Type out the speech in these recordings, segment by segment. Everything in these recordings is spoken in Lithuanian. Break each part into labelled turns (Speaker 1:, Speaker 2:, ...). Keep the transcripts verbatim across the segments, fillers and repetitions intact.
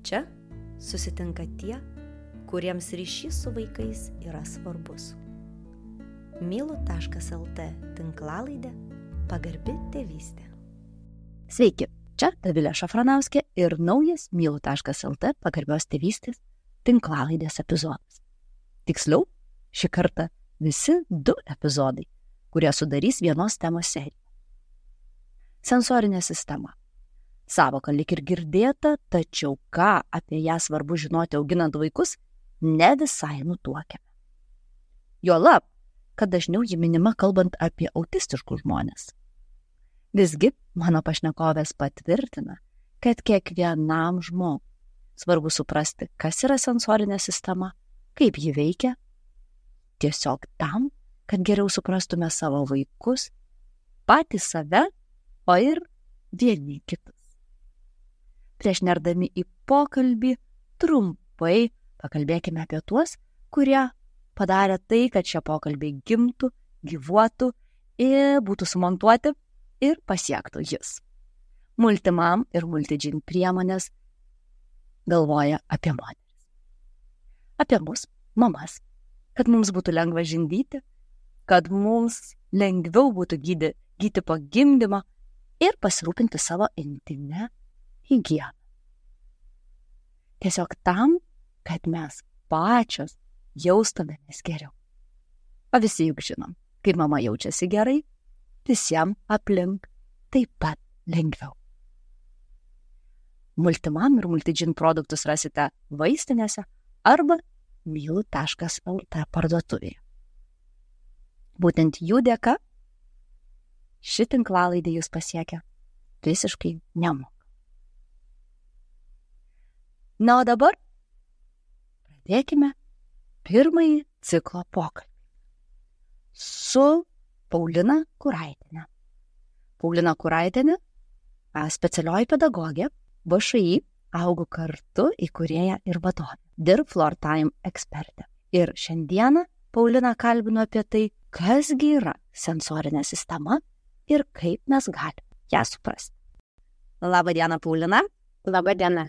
Speaker 1: Čia susitinka tie, kuriems ryšys su vaikais yra svarbus. mylu taškas lt tinklalaidė Pagarbi tėvystė.
Speaker 2: Sveiki, čia Dovilė Šafranauskė ir naujas mylu taškas lt Pagarbios tėvystės tinklalaidės epizodas. Tiksliau, šį kartą visi du epizodai, kurie sudarys vienos temos seriją. Sensorinė sistema. Savoka lyg ir girdėta, tačiau ką apie ją svarbu žinoti auginant vaikus, ne visai nutuokiame. Juolab, kad dažniau ji minima kalbant apie autistiškus žmones. Visgi, mano pašnekovės patvirtina, kad kiekvienam žmogui svarbu suprasti, kas yra sensorinė sistema, kaip ji veikia, tiesiog tam, kad geriau suprastume savo vaikus, patys save, o ir vieni kitus. Prieš nerdami į pokalbį, trumpai pakalbėkime apie tuos, kurie padarė tai, kad šie pokalbiai gimtų, gyvuotų ir būtų sumontuoti ir pasiektų jis. Multimam ir multidžin priemonės galvoja apie moteris. Apie mus, mamas, kad mums būtų lengva žindyti, kad mums lengviau būtų gydyti, gydyti po gimdymo ir pasirūpinti savo intimę higieną. Tiesiog tam, kad mes pačios jaustumėmės geriau. O visi juk žinom, kai mama jaučiasi gerai, visiems aplink taip pat lengviau. Multimam ir multidžin produktus rasite vaistinėse arba mylu taškas lt parduotuvėje. Būtent jų dėka ši tinklalaidė jūs pasiekia visiškai nemokamai. Na, o dabar pradėkime pirmąjį ciklo pokalbį su Paulina Kuraitienė. Paulina Kuraitienė, specialioji pedagogė, V Š I Augu kartu įkūrėja ir vadovė, dirb Floor Time ekspertė. Ir šiandieną Paulina kalbino apie tai, kasgi yra sensorinė sistema ir kaip mes galime ją suprasti. Labą dieną, Paulina.
Speaker 3: Labą dieną.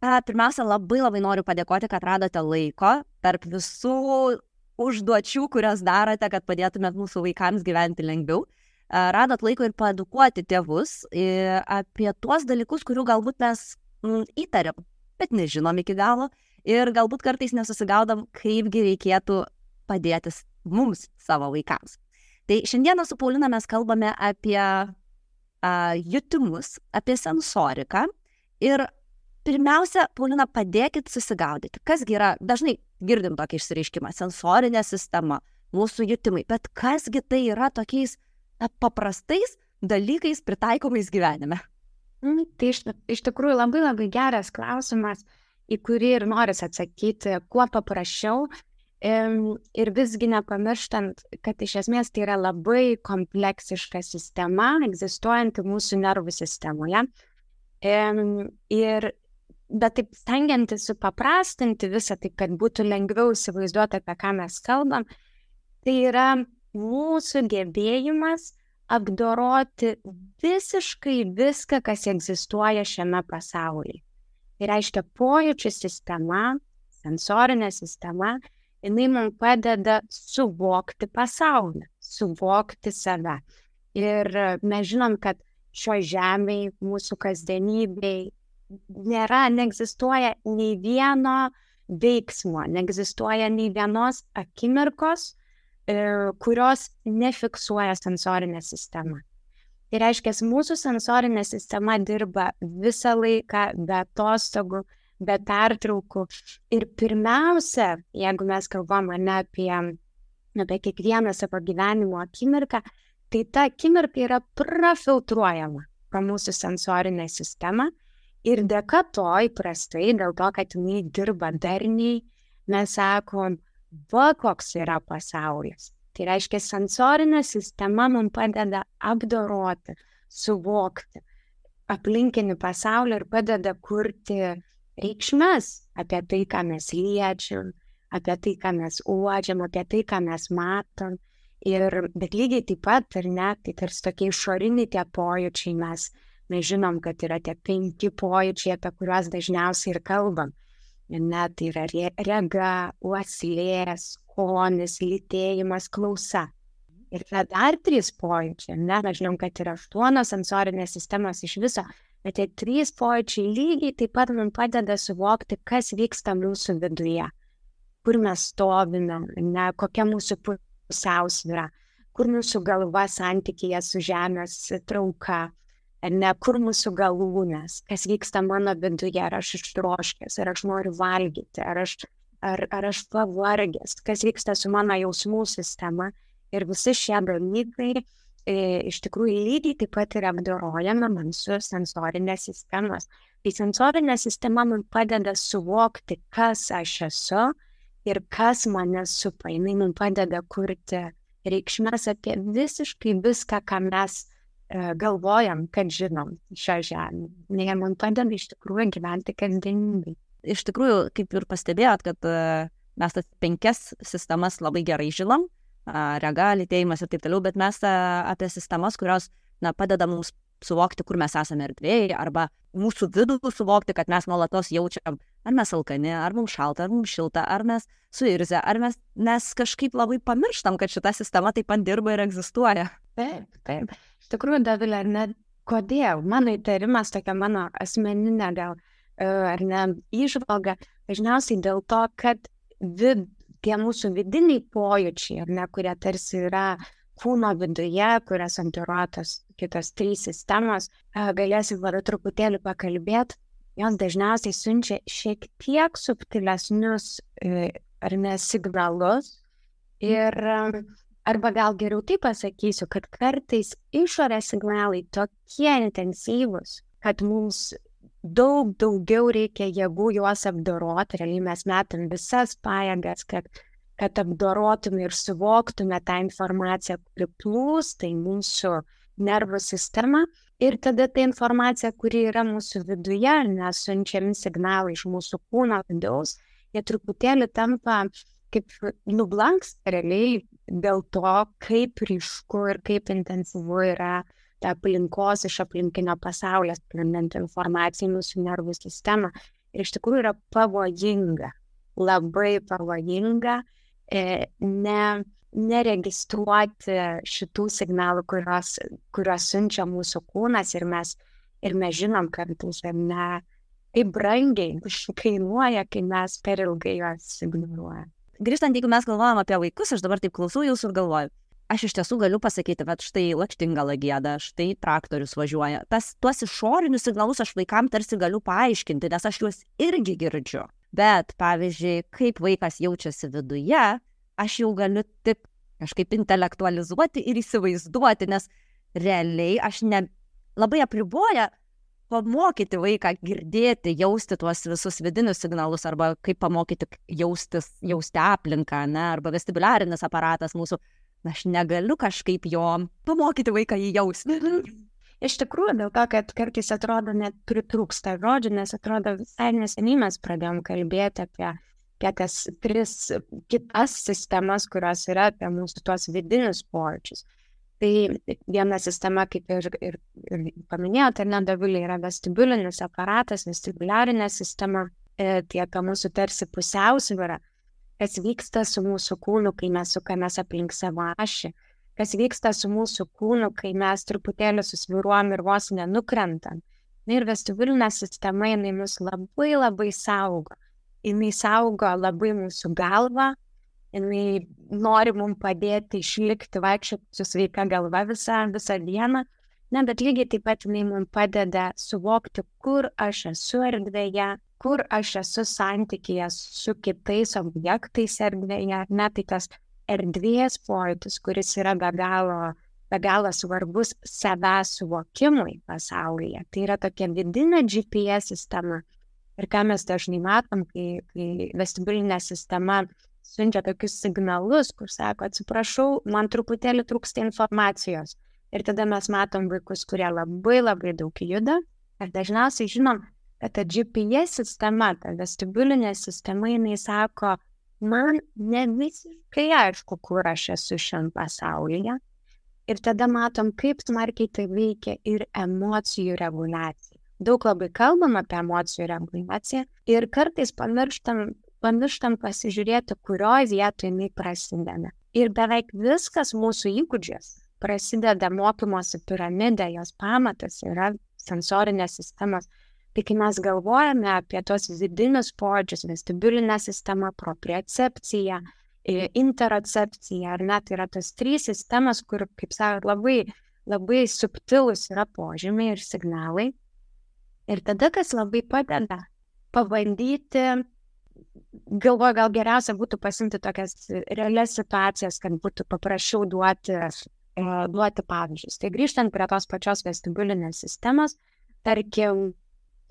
Speaker 2: Pirmiausia, labai labai noriu padėkoti, kad radote laiko tarp visų užduočių, kurias darote, kad padėtumėt mūsų vaikams gyventi lengviau. Radot laiko ir paedukuoti tėvus apie tuos dalykus, kurių galbūt mes įtariam, bet nežinom iki galo ir galbūt kartais nesusigaudam, kaipgi reikėtų padėti mums savo vaikams. Tai šiandieną su Paulina mes kalbame apie a, jutimus, apie sensoriką ir pirmiausia, Paulina, padėkit susigaudyti. Kasgi yra, dažnai girdim tokį išsireiškimą, sensorinė sistema, mūsų jutimai, bet kasgi tai yra tokiais na, paprastais dalykais pritaikomais gyvenime?
Speaker 3: Mm, tai iš, iš tikrųjų labai labai geras klausimas, į kurį ir noris atsakyti kuo paprasčiau ir visgi nepamirštant, kad iš esmės tai yra labai kompleksiška sistema, egzistuojanti mūsų nervų sistemoje. Ir bet taip stengiantis supaprastinti visą, taip kad būtų lengviau įsivaizduoti, apie ką mes kalbam, tai yra mūsų gebėjimas apdoroti visiškai viską, kas egzistuoja šiame pasaulyje. Tai reiškia pojūčių sistema, sensorinė sistema, jinai mums padeda suvokti pasaulį, suvokti save. Ir mes žinom, kad šio žemėje, mūsų kasdienybėje, nėra, neegzistuoja nei vieno veiksmo, neegzistuoja nei vienos akimirkos, kurios nefiksuoja sensorinė sistema. Tai reiškia, mūsų sensorinė sistema dirba visą laiką, be atostogų, be pertraukų. Ir pirmiausia, jeigu mes kalbame ne apie, apie kiekvieną savo gyvenimo akimirką, tai ta akimirka yra prafiltruojama pro mūsų sensorinę sistemą. Ir dėka to įprastai, dėl to, kad jinai dirba darniai, mes sakom, va koks yra pasaulis. Tai reiškia, sensorinė sistema mums padeda apdoroti, suvokti aplinkinį pasaulį ir padeda kurti reikšmes apie tai, ką mes liečiam, apie tai, ką mes uodžiam, apie tai, ką mes matom. Ir, bet lygiai taip pat, ar ne, tai tarsi tokie išoriniai tie pojūčiai mes Mes žinom, kad yra tie penki pojūčiai, apie kuriuos dažniausiai ir kalbam. Net tai yra rega, uoslė, skonis, lytėjimas, klausa. Ir yra dar trys pojūčiai. Ne? Mes žinom, kad yra aštuonios sensorinės sistemos iš viso, bet tie trys pojūčiai lygiai taip pat mums padeda suvokti, kas vyksta mūsų viduje. Kur mes stovime, ne? Kokia mūsų pusiausvyra, kur mūsų galva santykyje su žemės trauka, ne, kur mūsų galūnės, kas vyksta mano viduje, ar aš ištroškęs, ar aš noriu valgyti, ar aš, ar, ar aš pavargęs, kas vyksta su mano jausmų sistema. Ir visi šie dalykai e, iš tikrųjų lygiai taip pat yra apdorojami mūsų sensorinės sistemos. Tai sensorinė sistema man padeda suvokti, kas aš esu ir kas mane supa. Jis man padeda kurti reikšmes apie visiškai viską, ką mes galvojam, kad žinom šią žemę. Jie man padeda iš tikrųjų gyventi kasdienybėj.
Speaker 2: Iš tikrųjų, kaip ir pastebėjot, kad uh, mes tas penkias sistemas labai gerai žinom, uh, rega, lytėjimas ir taip toliau, bet mes uh, apie sistemas, kurios na, padeda mums suvokti, kur mes esame erdvėje, arba mūsų vidų suvokti, kad mes nuolatos jaučiam, ar mes alkani, ar mums šalta, ar mums šilta, ar mes suirzę, ar mes, mes kažkaip labai pamirštam, kad šita sistema taip pat dirba ir egzistuoja.
Speaker 3: Taip, taip. Iš tikrųjų, Dovilė, ar ne, kodėl? Mano įtarimas, tokia mano asmeninė gal, ar ne, įžvalga, dažniausiai dėl to, kad vid, tie mūsų vidiniai pojūčiai, ar ne, kurie tarsi yra kūno viduje, kurias antiruotos kitos trys sistemos, galėsim vada truputėlį pakalbėti, jos dažniausiai siunčia šiek tiek subtilesnius, ar ne, signalus ir arba gal geriau taip pasakysiu, kad kartais išorės signalai tokie intensyvūs, kad mums daug daugiau reikia jėgų juos apdoroti. Realiai mes metam visas pajėgas, kad, kad apdorotume ir suvoktume tą informaciją, kuri plūsta į mūsų nervų sistemą. Ir tada ta informacija, kuri yra mūsų viduje, nes siunčiami signalai iš mūsų kūno vidaus, jie truputėlį tampa kaip nublanksta realiai dėl to, kaip ryšku ir kaip intensyvu yra ta aplinkos iš aplinkinio pasaulio sklindanti informacija į mūsų nervų sistemą. Ir iš tikrųjų yra pavojinga, labai pavojinga e, ne, neregistruoti šitų signalų, kurios, kurios siunčia mūsų kūnas ir mes, ir mes žinom, kad ne, kaip brangiai kainuoja, kai mes per ilgai juos ignoruojame.
Speaker 2: Grįžtant, jeigu mes galvojam apie vaikus, aš dabar taip klausau jūsų ir galvoju, aš iš tiesų galiu pasakyti, bet štai lakštingala gieda, štai traktorius važiuoja. Tas, tuos išorinius signalus aš vaikam tarsi galiu paaiškinti, nes aš juos irgi girdžiu. Bet, pavyzdžiui, kaip vaikas jaučiasi viduje, aš jau galiu tik kažkaip intelektualizuoti ir įsivaizduoti, nes realiai aš ne labai apriboja pamokyti vaiką girdėti, jausti tuos visus vidinius signalus, arba kaip pamokyti jaustis, jausti aplinką, ne, arba vestibuliarinis aparatas mūsų. Aš negaliu kažkaip jo pamokyti vaiką jį jausti.
Speaker 3: Iš tikrųjų, dėl to, kad kartais atrodo net pritrūksta žodžių, nes atrodo visai neseniai mes pradėjom kalbėti apie, apie tas tris kitas sistemas, kurios yra apie mūsų tuos vidinius pojūčius. Tai viena sistema, kaip ir, ir, ir paminėjote, ar ne, Dovilė, yra vestibulinis aparatas, vestibuliarinė sistema, e, tai apie mūsų tarsi pusiausvyrą, kas vyksta su mūsų kūnu, kai mes sukamės aplink savo ašį, kas vyksta su mūsų kūnu, kai mes truputėlį susviruojam ir vos nenukrentam. Ir vestibulinė sistema, jinai mus labai labai saugo. Jinai saugo labai mūsų galvą, jinai nori mums padėti išlikti, vaikščioti su sveika galva visą, visą dieną, ne, bet lygiai taip pat jinai mums padeda suvokti, kur aš esu erdvėje, kur aš esu santykyje su kitais objektais erdvėje, ne, tai tas erdvės pojūtis, kuris yra be galo, be galo svarbus savęs suvokimui pasaulyje. Tai yra tokia vidinė G P S sistema. Ir ką mes dažnai matom, kai, kai vestibulinė sistema siunčia tokius signalus, kur sako, atsiprašau, man truputėlį trūksta informacijos. Ir tada mes matom vaikus, kurie labai labai daug juda. Ir dažniausiai žinom, kad ta G P S sistema, ta vestibulinė sistema, jinai sako, man ne visiškai aišku, kur aš esu šiandien pasaulyje. Ir tada matom, kaip smarkiai tai veikia ir emocijų reguliacija. Daug labai kalbam apie emocijų reguliaciją ir kartais pamirštam, pamirštam pasižiūrėti, kurioje vietoje jinai prasideda. Ir beveik viskas mūsų įgūdžios prasideda mokymosi piramidė, jos pamatas yra sensorinės sistemos. Tai kai mes galvojame apie tos vidinius pojūčius, vestibulinę sistemą, propriocepciją, interocepcija, ar net yra tas trys sistemas, kur, kaip sakot, labai, labai subtilus yra požymiai ir signalai. Ir tada, kas labai padeda, pabandyti, galvoju, gal geriausia būtų pasimti tokias realias situacijas, kad būtų paprasčiau duoti, duoti pavyzdžius. Tai grįžtant prie tos pačios vestibulinės sistemos, tarkim,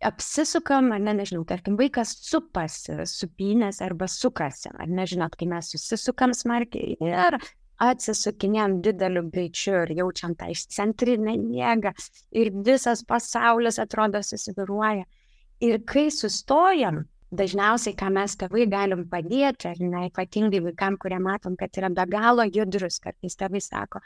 Speaker 3: apsisukam, ar ne, nežinau, tarkim, vaikas supasi, supynės arba sukasi, ar nežinot, kai mes susisukam smarkiai ir atsisukinėm dideliu greičiu ir jaučiam tą išcentrinę jėgą ir visas pasaulis atrodo susiviruoja. Ir kai sustojam, dažniausiai, ką mes tėvai galim padėti, ar ne, ypatingai vaikam, kurie matom, kad yra be galo judrus, kartais tėvai sako,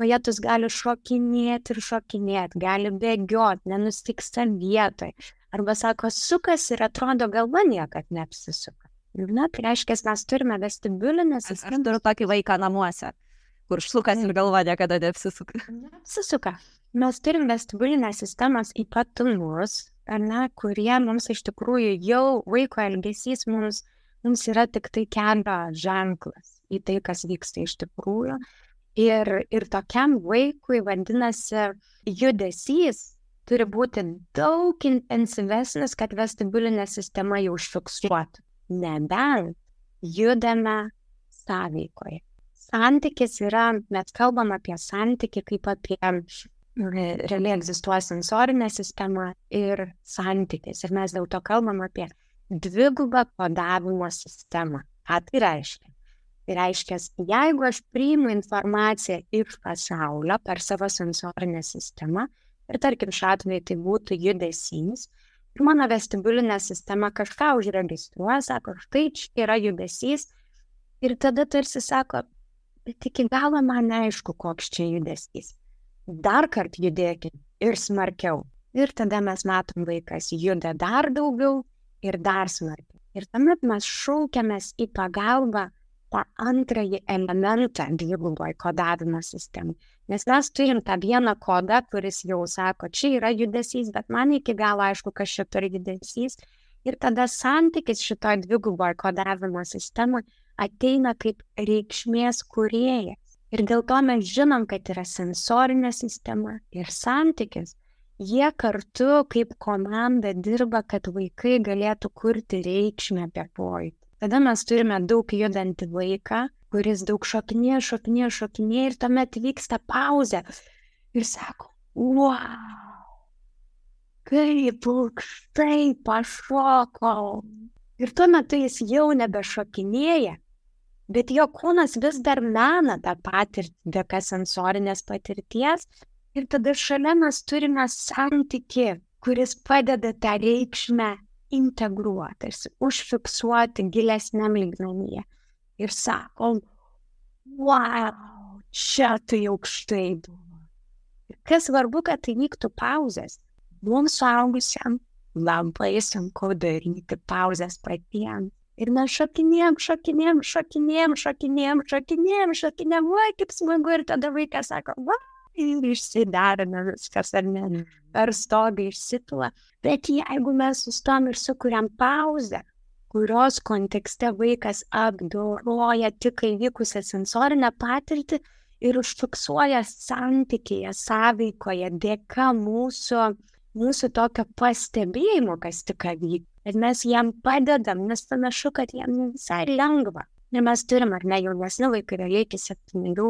Speaker 3: vajetus gali šokinėti ir šokinėti, gali bėgioti, nenustiksta vietoj. Arba sako, sukas ir atrodo galva niekad neapsisuka. Na, tai reiškia, mes turime vestibulinę sistemą.
Speaker 2: Aš turiu tokį vaiką namuose, kur sukas ir galva niekada neapsisuka.
Speaker 3: Neapsisuka. Mes turim vestibulinės sistemos ypatumus, ar ne, kurie mums iš tikrųjų jau vaiko elgesys mums, mums yra tik tai kelio ženklas į tai, kas vyksta iš tikrųjų. Ir, ir tokiam vaikui, vadinasi, judesys turi būti daug intensyvesnis, kad vestibulinė sistema jau užfiksuotų. Nebent judame sąveikoje. Santykis yra, mes kalbam apie santykį kaip apie realiai egzistuoja sensorinė sistema ir santykis. Ir mes dėl to kalbam apie dvigubą kodavimo sistemą. Ką tai reiškia? Tai reiškia, jeigu aš priimu informaciją iš pasaulio per savo sensorinę sistemą, ir tarkim šiuo atveju tai būtų judesys, ir mano vestibulinė sistema kažką užregistruoja, sako, štai čia yra judesys, ir tada tarsi sako, bet iki galo man neaišku, koks čia judesys. Dar kart judėkit ir smarkiau. Ir tada mes matom, vaikas juda dar daugiau ir dar smarkiau. Ir tuomet mes šaukiamės į pagalbą tą antrąjį elementą dviguboj kodavimo sistemai. Nes mes turim tą vieną kodą, kuris jau sako, čia yra judesys, bet man iki galo aišku, kas čia per judesys. Ir tada santykis šitoj dviguboj kodavimo sistemai ateina kaip reikšmės kūrėjas. Ir dėl to mes žinom, kad yra sensorinė sistema ir santykis. Jie kartu kaip komanda dirba, kad vaikai galėtų kurti reikšmę apie pojūtį. Tada mes turime daug judantį vaiką, kuris daug šokinėja, šokinėja, šokinėja ir tuomet vyksta pauzė. Ir sako, wow, kaip aukštai pašokau. Ir tuo metu jis jau nebešokinėja, bet jo kūnas vis dar mena tą patirtį dėka sensorinės patirties. Ir tada šalia mes turime santykį, kuris padeda tą reikšmę integruoti, užfiksuoti gilesniam lygmenyje. Ir sakom, wow, čia tai aukštai buvo. Ir kas svarbu, kad tai vyktų pauzės. Mums suaugusiam labai sunku daryti pauzės patiems. Ir mes šokinėjom, šokinėjom, šokinėjom, šokinėjom, šokinėjom, šokinėjom, vai, kaip smagu. Ir tada vaikas sako, va, ir išsiderina viskas, ar ne, per stogą išsipila. Bet jeigu mes sustom ir sukuriam pauzę, kurios kontekste vaikas apdoroja tik įvykusią sensorinę patirtį ir užfiksuoja santykėje, sąveikoje, dėka mūsų, mūsų tokio pastebėjimo, kas tik vyko. Ir mes jam padedam, nes panašu, kad jam visai lengva. Ir mes turim, ar ne, jaunesni vaikai, realiai iki septynerių,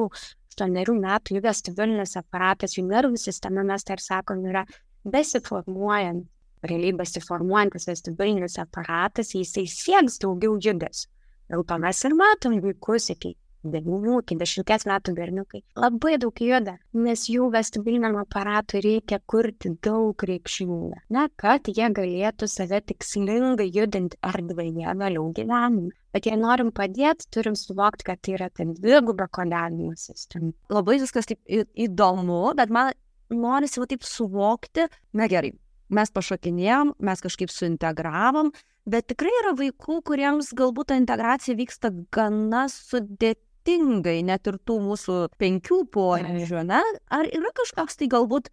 Speaker 3: aštuonerių metų jų vestibulinis aparatas, jų nervų sistema, mes tai ir sakom, yra besiformuojant, realiai besiformuojantis vestibulinis aparatas, jisai sieks daugiau judesio. Dėl to mes ir matom vaikus iki devynių iki dešimties metų berniukai labai daug juda, nes jų vestibuliniam aparatui reikia kurti daug reikšmingą, ne, kad jie galėtų save tikslingai judinti erdvėje vėliau gyvenime. Bet jei norim padėti, turim suvokti, kad tai yra ta dviguba kodavimo sistema.
Speaker 2: Labai viskas taip į- įdomu, bet man norisi va taip suvokti, na gerai, mes pašokinėjom, mes kažkaip suintegravom, bet tikrai yra vaikų, kuriems galbūt ta integracija vyksta gana sudėtingai, net ir tų mūsų penkių požiūrių, ne? Ar yra kažkoks tai galbūt,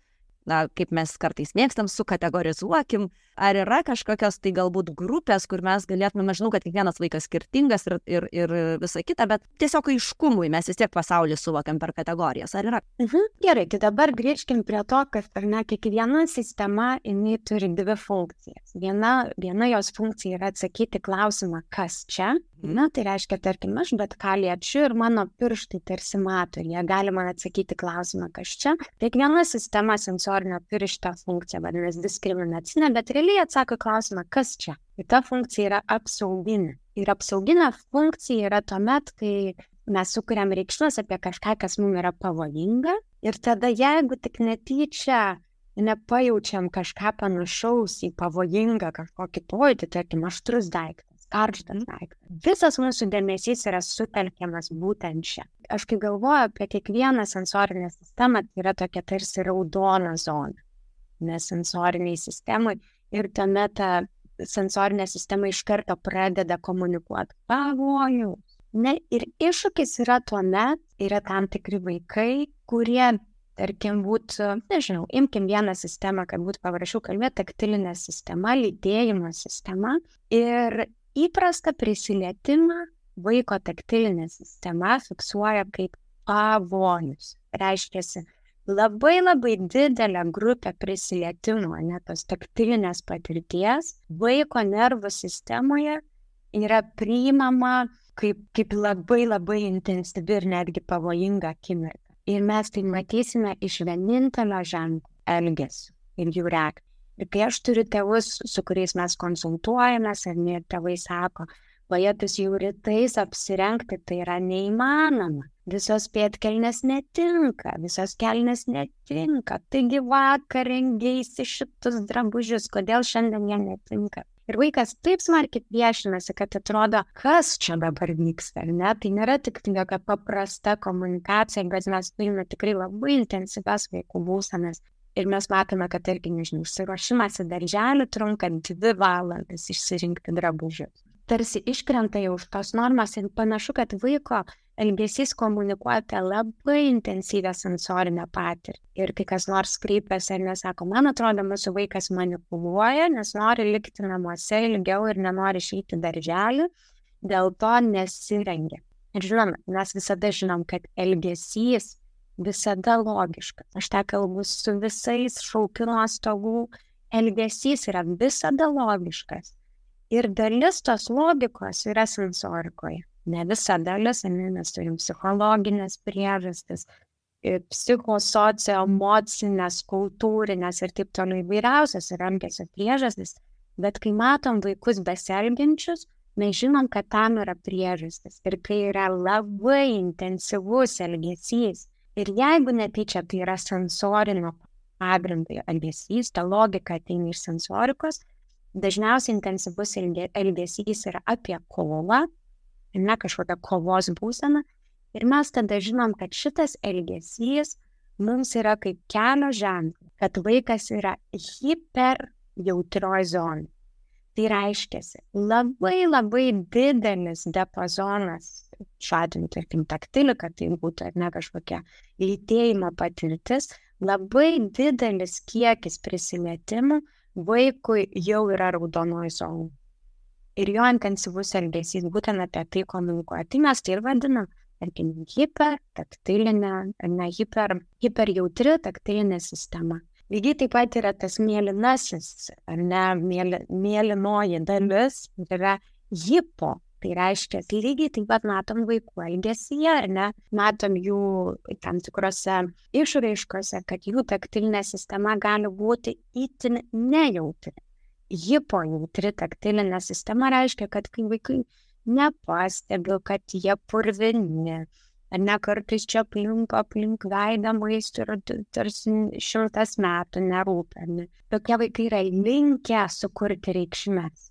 Speaker 2: na, kaip mes kartais mėgstam, sukategorizuokim, ar yra kažkokios tai galbūt grupės, kur mes galėtume, aš žinau, kad kiekvienas vaikas skirtingas ir, ir, ir visa kita, bet tiesiog aiškumui mes vis tiek pasaulį suvokiam per kategorijas, ar yra?
Speaker 3: Mhm. Gerai, tai dabar grįžkim prie to, kad ar ne, kiekviena sistema, jinai turi dvi funkcijas. Viena, viena jos funkcija yra atsakyti klausimą, kas čia. Na, tai reiškia, tarkim, aš bet ką liečiu ir mano pirštai tarsi mato, ir jie gali man atsakyti klausimą, kas čia. Kiekviena sistema sensorinio turi šitą funkciją, vadinasi diskriminacinė, bet realiai atsako klausimą, kas čia. Ir ta funkcija yra apsauginė. Ir apsauginė funkcija yra tuomet, kai mes sukuriam reikšmes apie kažką, kas mums yra pavojinga. Ir tada, jeigu tik netyčia nepajaučiam kažką panašaus į pavojingą kažkokį pojūtį, tarkim, aštrus daiktas, karštas daiktas, visas mūsų dėmesys yra sutelkiamas būtent čia. Aš kai galvoju apie kiekvieną sensorinę sistemą, tai yra tokia tarsi raudona zona, nes sensoriniai sistemai ir tuomet ta sensorinė sistema iš karto pradeda komunikuoti pavojų. Ne, ir iššūkis yra tuomet, yra tam tikri vaikai, kurie, tarkim, būtų, nežinau, imkim vieną sistemą, kad būtų paprasčiau kalbėti, taktilinė sistema, lytėjimo sistema, ir įprastą prisilietimą vaiko taktilinė sistema fiksuoja kaip pavojus. Reiškiasi, labai labai didelė grupė prisilietimų, ne tos taktilinės patirties, vaiko nervų sistemoje yra priimama kaip, kaip labai labai intensyvi ir netgi pavojinga akimirka. Ir mes tai matysime iš vienintelio ženklo elgesio ir jų reakcijų. Ir kai aš turiu tėvus, su kuriais mes konsultuojamės, ir ne tėvai sako, vajetus jau rytais apsirengti, tai yra neįmanoma. Visos pėdkelnės netinka, visos kelnės netinka. Taigi vakar rengeisi šitus drabužius, kodėl šiandien jie netinka. Ir vaikas taip smarkiai priešinasi, kad atrodo, kas čia dabar vyksta, ar ne? Tai nėra tik tokia paprasta komunikacija, bet mes turime tikrai labai intensyvias vaikų būsenas. Ir mes matome, kad, tarkim, nežinau, išsiruošimas į darželį trunka dvi valandas išsirinkti drabužius. Tarsi iškrenta jau už tos normos ir panašu, kad vaiko elgesys komunikuoja apie labai intensyvę sensorinę patirtį. Ir kai kas nors kreipiasi ir nesako, man atrodo, mūsų vaikas manipuluoja, nes nori likti namuose ilgiau ir nenori išeiti darželį, dėl to nesirengia. Ir žinoma, mes visada žinom, kad elgesys visada logiškas. Aš tą kalbu su visais šaukimo stogų, elgesys yra visada logiškas. Ir dalis tos logikos yra sensorikoje. Ne visa dalis, mes turim psichologinės priežastis, psichosocioemocinės, kultūrinės ir taip toliau įvairiausias ir elgesio priežastis. Bet kai matom vaikus besielgiančius, mes žinom, kad tam yra priežastis. Ir kai yra labai intensyvus elgesys, ir jeigu netyčia tai yra sensorinio pagrindo elgesys, ta logika ateina iš sensorikos, dažniausiai intensyvus elgesys yra apie kovą, ne kažkokia kovos būsena, ir mes tada žinom, kad šitas elgesys mums yra kaip kelio ženklas, kad vaikas yra hiper jautrioj zonai. Tai reiškiasi, labai labai didelis diapazonas, šiuo atveju, tarkim, taktilika, tai būtų ar ne kažkokia lytėjimo patirtis, labai didelis kiekis prisilietimų vaikui jau yra raudonoj zonoj. Ir jo intensyvus elgesys būtent apie tai komunikuoja. Tai mes tai ir vadinam, tarkim, hiper taktilinė, ne hiper, hiper jautri taktilinė sistema. Lygiai taip pat yra tas mėlynasis, ar ne, mėly, mėlynoji dalis, yra hipo. Tai reiškia, lygiai taip pat matom vaikų elgesyje, ar ne, matom jų tam tikrose išraiškose, kad jų taktilinė sistema gali būti itin nejautri. Hipojautri taktilinė sistema reiškia, kad kai vaikai nepastebiu, kad jie purvini, ar ne kartais čia aplink, aplink veidą maisto ir tarsi šimtas metų nerūpia. Ne? Tokie vaikai yra linkę sukurti reikšmes.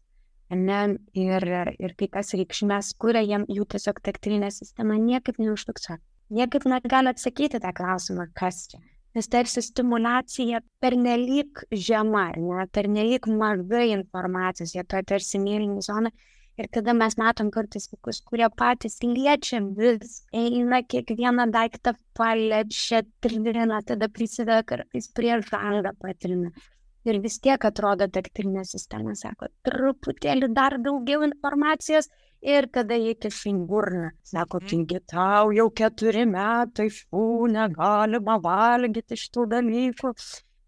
Speaker 3: Ne? Ir, ir kai tas reikšmes kuria, jiem jų tiesiog taktilinė sistema niekaip neužfiksuoja. Niekaip negali atsakyti tą klausimą, kas čia. Nes tarsi stimulacija pernelyg žema, ne, pernelyg mažai informacijos, jie to tarsi mėlyni zona. Ir tada mes matom kartais vaikus, kurie patys liečia vis, eina kiekvieną daiktą paliečia, trina, tada prisideda kartais prie žangą patrina. Ir vis tiek atrodo taktilinė sistema, sako, truputėlį dar daugiau informacijos. Ir tada jie kiša į burną. Sako, taigi tau jau keturi metai, fu, negalima valgyti šitų dalykų.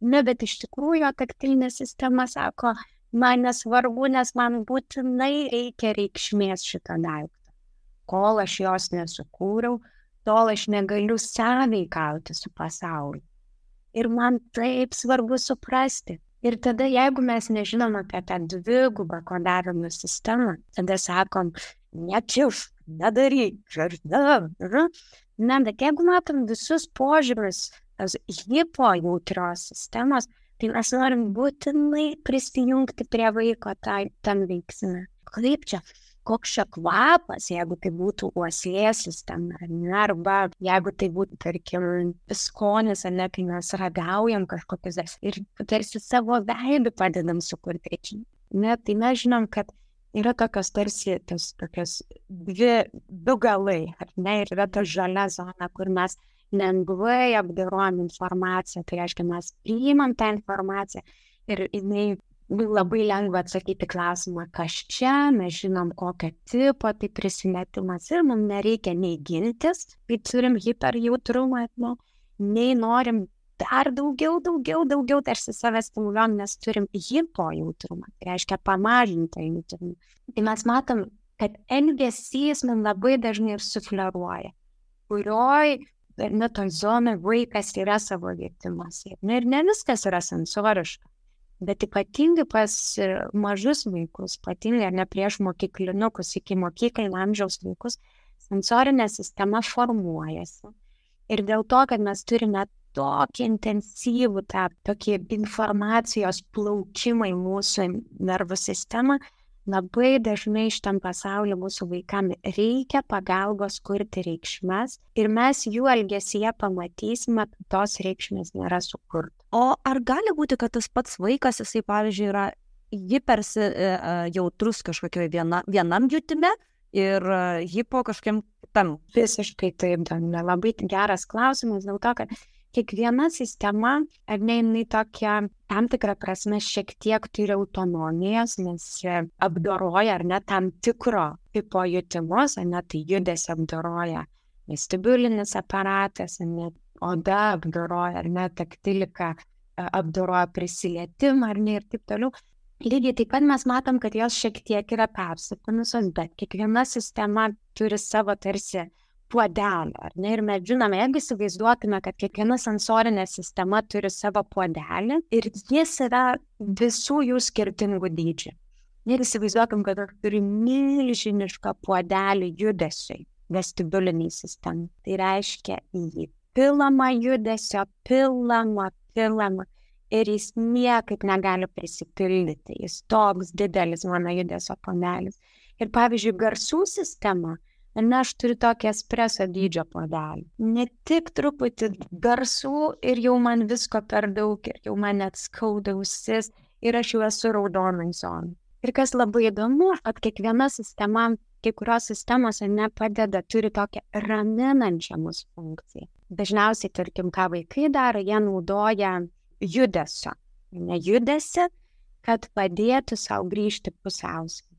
Speaker 3: Ne, bet iš tikrųjų taktilinė sistema sako, man nesvarbu, nes man būtinai reikia reikšmės šitą daiktą. Kol aš jos nesukūriau, tol aš negaliu sąveikauti su pasauliu. Ir man taip svarbu suprasti. Ir tada, jeigu mes nežinom apie tą dvigubą kodavimo sistemą, tada sakom, nekiš, nedaryk, ne. Ne, bet jeigu matom visus požymius tos hipojautrios sistemos, tai mes norim būtinai prisijungti prie vaiko tai, tam veiksme. Kaip čia? Koks čia kvapas, jeigu tai būtų uoslės sistema, arba jeigu tai būtų, tarkim, skonis, ne, kai mes ragaujam kažkokius ir tarsi savo veidu padedam sukurti reikšmę. Ne, tai mes žinom, kad yra tokios tarsi tos, tokios dvi, du galai, ar ne, ir yra ta žalia zona, kur mes lengvai apdorojam informaciją, tai reiškia, mes priimam tą informaciją ir jinai labai lengva atsakyti klausimą, kas čia, mes žinom kokio tipo, tai prisimetimas ir mums nereikia nei gintis, kai turim hiperjautrumą, nu, nei norim dar daugiau, daugiau, daugiau tarsi save stimuliuojam, nes turim hipojautrumą, tai reiškia pamažintą jautrumą. Tai mes matom, kad elgesys mums labai dažnai ir sufleruoja, kurioj ne toj zonai vaikas yra savo vietimuose. Ir ne viskas yra sensoriška. Bet ypatingai pas mažus vaikus, ypatingai ar ne prieš mokyklinukus, iki mokyklinio amžiaus vaikus, sensorinė sistema formuojasi. Ir dėl to, kad mes turime tokį intensyvų tą tokį informacijos plaukimą į mūsų nervų sistemą, labai dažnai šitam pasaulyje mūsų vaikams reikia pagalbos kurti reikšmes ir mes jų elgesyje pamatysime, kad tos reikšmės nėra sukurtos.
Speaker 2: O ar gali būti, kad tas pats vaikas, jisai, pavyzdžiui, yra hipersi jautrus kažkokio viena, vienam jutime ir hipo kažkokiam kitam?
Speaker 3: Visiškai taip, Danile. Labai geras klausimas dėl to, kad kiekviena sistema, ar ne, jinai tokia tam tikrą prasme šiek tiek turi autonomijos, nes apdoroja, ar ne, tam tikro tipo jutimus, ar ne, tai judesį apdoroja vestibulinis aparatas, ar ne, oda apdoroja, ar ne, taktilika apdoroja prisilietimą, ar ne, ir taip toliau. Lygiai taip pat mes matom, kad jos šiek tiek yra persipinusios, bet kiekviena sistema turi savo tarsi puodelį, ar ne? Ir mes žinome, jeigu įsivaizduotume, kad kiekviena sensorinė sistema turi savo puodelį ir jis yra visų jų skirtingų dydžių. Ir įsivaizduokim, kad turi milžinišką puodelį judesiui, vestibuliniai sistemai. Tai reiškia jį pilama judesio, pilama, pilama ir jis niekaip negali prisipildyti. Jis toks didelis mano judesio puodelis. Ir pavyzdžiui, garsų sistema, ne, aš turiu tokį espreso dydžio puodelį. Ne tik truputį garsų ir jau man visko per daug, ir jau man net skauda ausis ir aš jau esu raudonai zonai. Ir kas labai įdomu, kad kiekviena sistema, kai kurios sistemos nepadeda, turi tokią raminančią mūsų funkciją. Dažniausiai, tarkim, ką vaikai daro, jie naudoja judesio, ne judesi, kad padėtų savo grįžti pusiausvyrą.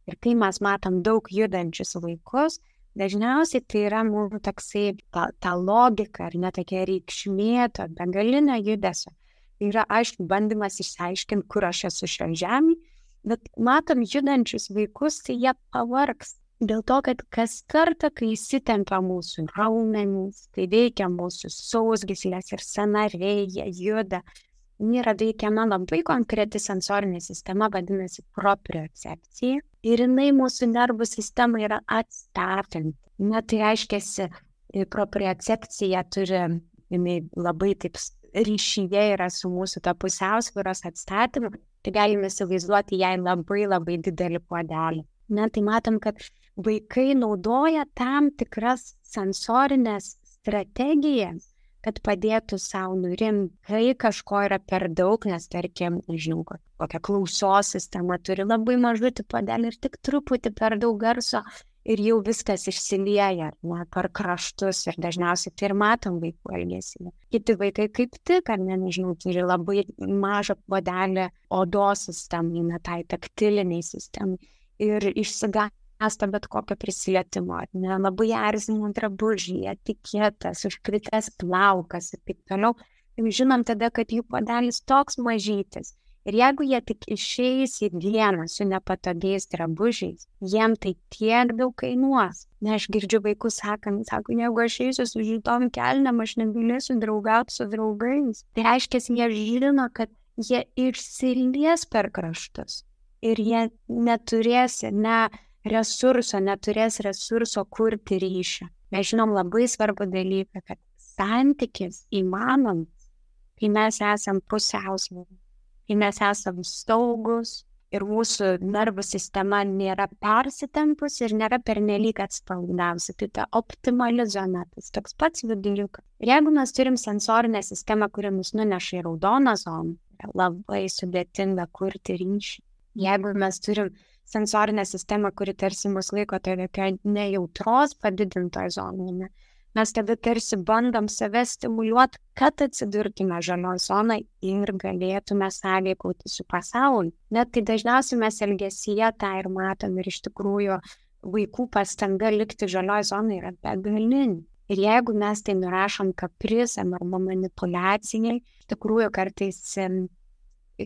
Speaker 3: Ir kai mes matom daug judančius vaikus, dažniausiai tai yra mūsų toksai ta, ta logika, ar ne tokia reikšmė, to begalinio judesio. Tai yra, aišku, bandymas išsiaiškinti, kur aš esu šio žemėje, bet matom judančius vaikus, tai jie pavargs. Dėl to, kad kas kartą, kai įsitempia mūsų raumenys, tai veikia mūsų sausgyslės ir sąnariai, jie juda. Yra veikiama labai konkreti sensorinė sistema, vadinasi propriocepcija. ir jinai mūsų nervų sistema yra atstatanti. Na, tai reiškia, propriocepcija turi, jinai labai taip ryšyje yra su mūsų ta pusiausvyros atstatymu, tai galime įsivaizduoti jai labai labai didelį puodelį. Na, tai matom, kad vaikai naudoja tam tikras sensorinės strategijas, kad padėtų savo nurimti, kai kažko yra per daug, nes tarkim, nežinau, kokią klausos sistemą turi labai mažutį puodelį ir tik truputį per daug garso ir jau viskas išsilieja, ne, per kraštus ir dažniausiai tai ir matom vaikų elgesį. Kiti vaikai kaip tik, ar ne, nežinau, turi labai mažą puodelį odos sistemai, ne, tai taktiliniai sistemai ir išsigąsta bet kokio prisilietimo, ne, labai erzina drabužiai, etiketas, užkritęs plaukas ir taip toliau. Ir žinom tada, kad jų puodelis toks mažytis. Ir jeigu jie tik išeis į dieną su nepatogiais drabužiais, jiem tai tiek daug kainuos. Ne, aš girdžiu vaikus sakant, sako, jeigu aš eisiu su žitom kelnėm, aš negalėsiu draugauti su draugais. Tai reiškia, jie žino, kad jie išsilies per kraštus. Ir jie neturės ne resurso, neturės resurso kurti ryšį. Mes žinom labai svarbų dalyką, kad santykis įmanomas, kai mes esam pusiausvyroj, kai mes esam saugus ir mūsų nervų sistema nėra persitempus ir nėra pernelyg atsipalaidavusi. Tai ta optimali zona, tas toks pats viduriukas. Ir jeigu mes turim sensorinę sistemą, kuri mus nuneša į raudoną zoną, labai sudėtinga kurti ryšį. Jeigu mes turim sensorinę sistemą, kuri tarsi mus laiko toje nejautros padidintoje zonoje, mes tada tarsi bandom save stimuliuoti, kad atsidurtume žalioj zonai ir galėtume sąveikauti su pasauliu. Net tai dažniausiai mes elgesyje tą ir matom ir iš tikrųjų vaikų pastanga likti žalioj zonai yra begalinė. Ir jeigu mes tai nurašom kaprizam arba manipulacijai, iš tikrųjų kartais,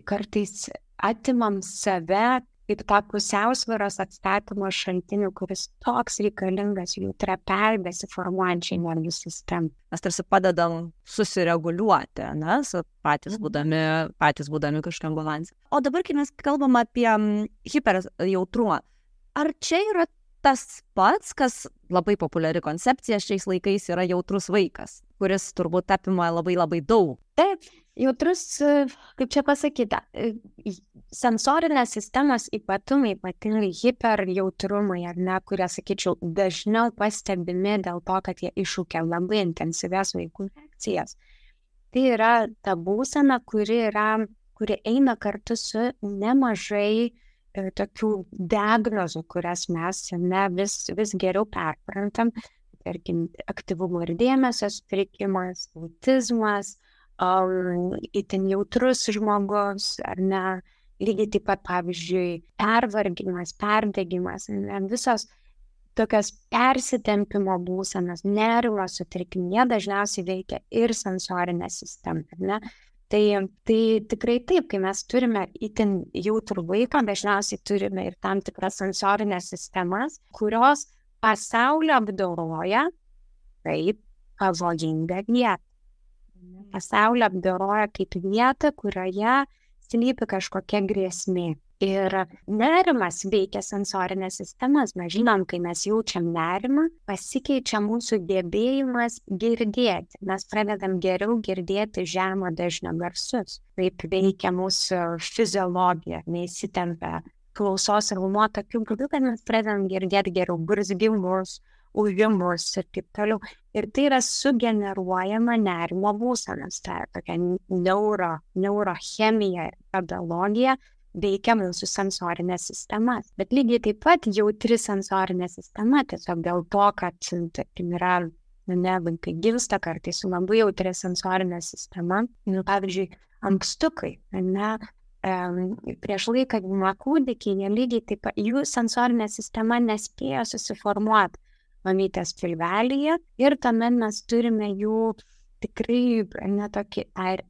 Speaker 3: kartais atimam save kaip tą pusiausvyros atstatymo šaltinių, kuris toks reikalingas jų trapiai besiformuojančiai nervų sistemai.
Speaker 2: Mes tarsi padedam susireguliuoti, ne, patys būdami, patys būdami kažkam balansė. O dabar, kai mes kalbam apie hiperjautrumą, ar čia yra tas pats, kas labai populiari koncepcija šiais laikais yra jautrus vaikas, kuris turbūt apima labai labai daug?
Speaker 3: Taip, jautrus, kaip čia pasakyta, sensorinės sistemos ypatumai, ypatingai hiperjautrumai, ar ne, kurie, sakyčiau, dažniau pastebimi dėl to, kad jie iššūkia labai intensyvias vaikų reakcijas. Tai yra ta būsena, kuri, yra, kuri eina kartu su nemažai e, tokių diagnozių, kurias mes ne, vis, vis geriau perprantam. Tarkim, aktyvumo ir dėmesio sutrikimas, autizmas, um, itin jautrus žmogus, ar ne, lygiai taip pat, pavyzdžiui, pervargimas, perdegimas, ne, visos tokios persitempimo būsenos, nervo sutrikimai, jie dažniausiai veikia ir sensorinę sistemą, ne? Tai, tai tikrai taip, kai mes turime itin jautrų vaiką, dažniausiai turime ir tam tikras sensorinės sistemas, kurios pasaulio apdoroja kaip pavojingą vietą. Pasaulio apdoroja kaip vietą, kurioje slypi kažkokia grėsmė. Ir nerimas veikia sensorinės sistemas. Mes žinom, kai mes jaučiam nerimą, pasikeičia mūsų gebėjimas girdėti. Mes pradedam geriau girdėti žemo dažnio garsus. Taip veikia mūsų fiziologija, neįsitempia klausos raumuo tokiu būdu, kad mes pradedam girdėti geriau burzgimus, ūžimus ir taip toliau. Ir tai yra sugeneruojama nerimo būsenos. Tai tokia neuro, neurochemija ir biologija veikia mūsų sensorinės sistemas. Bet lygiai taip pat jautri sensorinė sistema, tiesiog dėl to, kad tarkim, yra, ne, vaikai gimsta kartais su labai jautri sensorinė sistema. Nu, pavyzdžiui, ankstukai, ne, e, prieš laiką gimę kūdikiai, jie lygiai taip pat, jų sensorinė sistema nespėjo susiformuoti mamytės pilvelyje ir tuomet mes turime jų tikrai ne tokį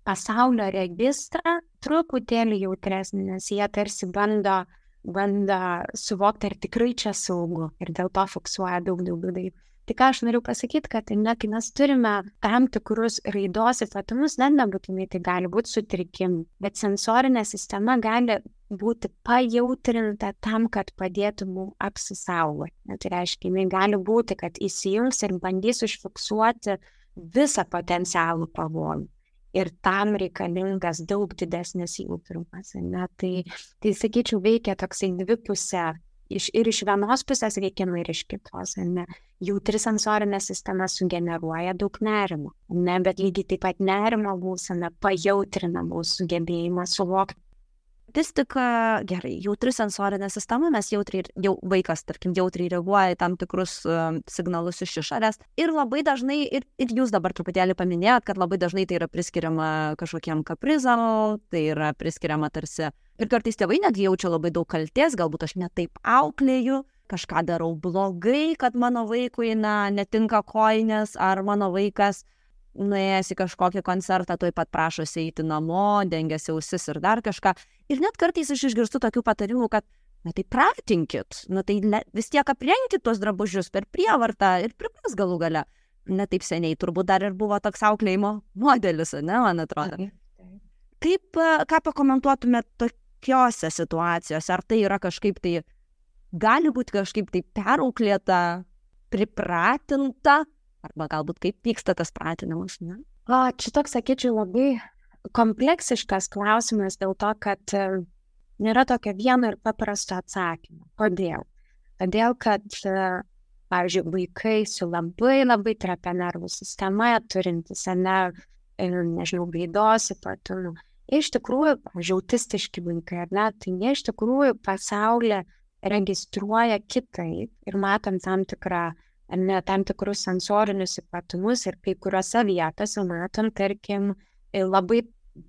Speaker 3: pasaulio registrą truputėlį jautresnį, nes jie tarsi bando, bando suvokti, ar tikrai čia saugu ir dėl to fiksuoja daug daugiau dalykų. Tai ką aš noriu pasakyti, kad ne, kai mes turime tam tikrus raidos ypatumus, net nebūtinai tai gali būti sutrikimai, bet sensorinė sistema gali būti pajautrinta tam, kad padėtų mums apsisaugoti. Tai reiškia, jinai gali būti, kad įsijungs ir bandys užfiksuoti visą potencialų pavojų. Ir tam reikalingas daug didesnis jautrumas. Ne? Tai, tai, sakyčiau, veikia toksai dvipusė. Iš, ir iš vienos pusės veikiama ir iš kitos. Ne? Jautri sensorinė sistema sugeneruoja daug nerimo. Ne? Bet lygiai taip pat nerimo būsena pajautrina mūsų sugebėjimą suvokti.
Speaker 2: Vis tik, gerai, jautri sensorinė sistema, mes jautriai, jau vaikas, tarkim, jautriai reaguoja į tam tikrus uh, signalus iš išorės. Ir labai dažnai, ir, ir jūs dabar truputėlį paminėjot, kad labai dažnai tai yra priskiriama kažkokiem kaprizam, tai yra priskiriama tarsi. Ir kartais tėvai netgi jaučia labai daug kaltės, galbūt aš ne taip auklėju, kažką darau blogai, kad mano vaikui na, netinka kojinės, ar mano vaikas nuėjęs į kažkokį koncertą, tuoj pat prašosi eiti namo, dengiasi ausis ir dar kažką. Ir net kartais aš išgirstu tokių patarimų, kad, na tai pratinkit, na tai le, vis tiek aprengkit tuos drabužius per prievartą ir pripras galų gale. Ne taip seniai, turbūt dar ir buvo toks auklėjimo modelis, ne, man atrodo. Kaip, ką pakomentuotumėt tokiose situacijose? Ar tai yra kažkaip tai, gali būti kažkaip tai perauklėta, pripratinta, arba galbūt kaip vyksta tas pratinimas, ne?
Speaker 3: O, čia toks, sakyčiau, labai kompleksiškas klausimas dėl to, kad uh, nėra tokio vieno ir paprasto atsakymo. Kodėl? Todėl, kad, uh, pavyzdžiui, vaikai su labai labai trapia nervų sistema, turintys, ne, nežinau, raidos ypatumų, iš tikrųjų, pavyzdžiui, autistiški vaikai, ar ne, tai jie iš tikrųjų pasaulyje registruoja kitaip ir matom tam tikrą ne tam tikrus sensorinius ypatumus ir kai kuriuose vietose matom, tarkim, labai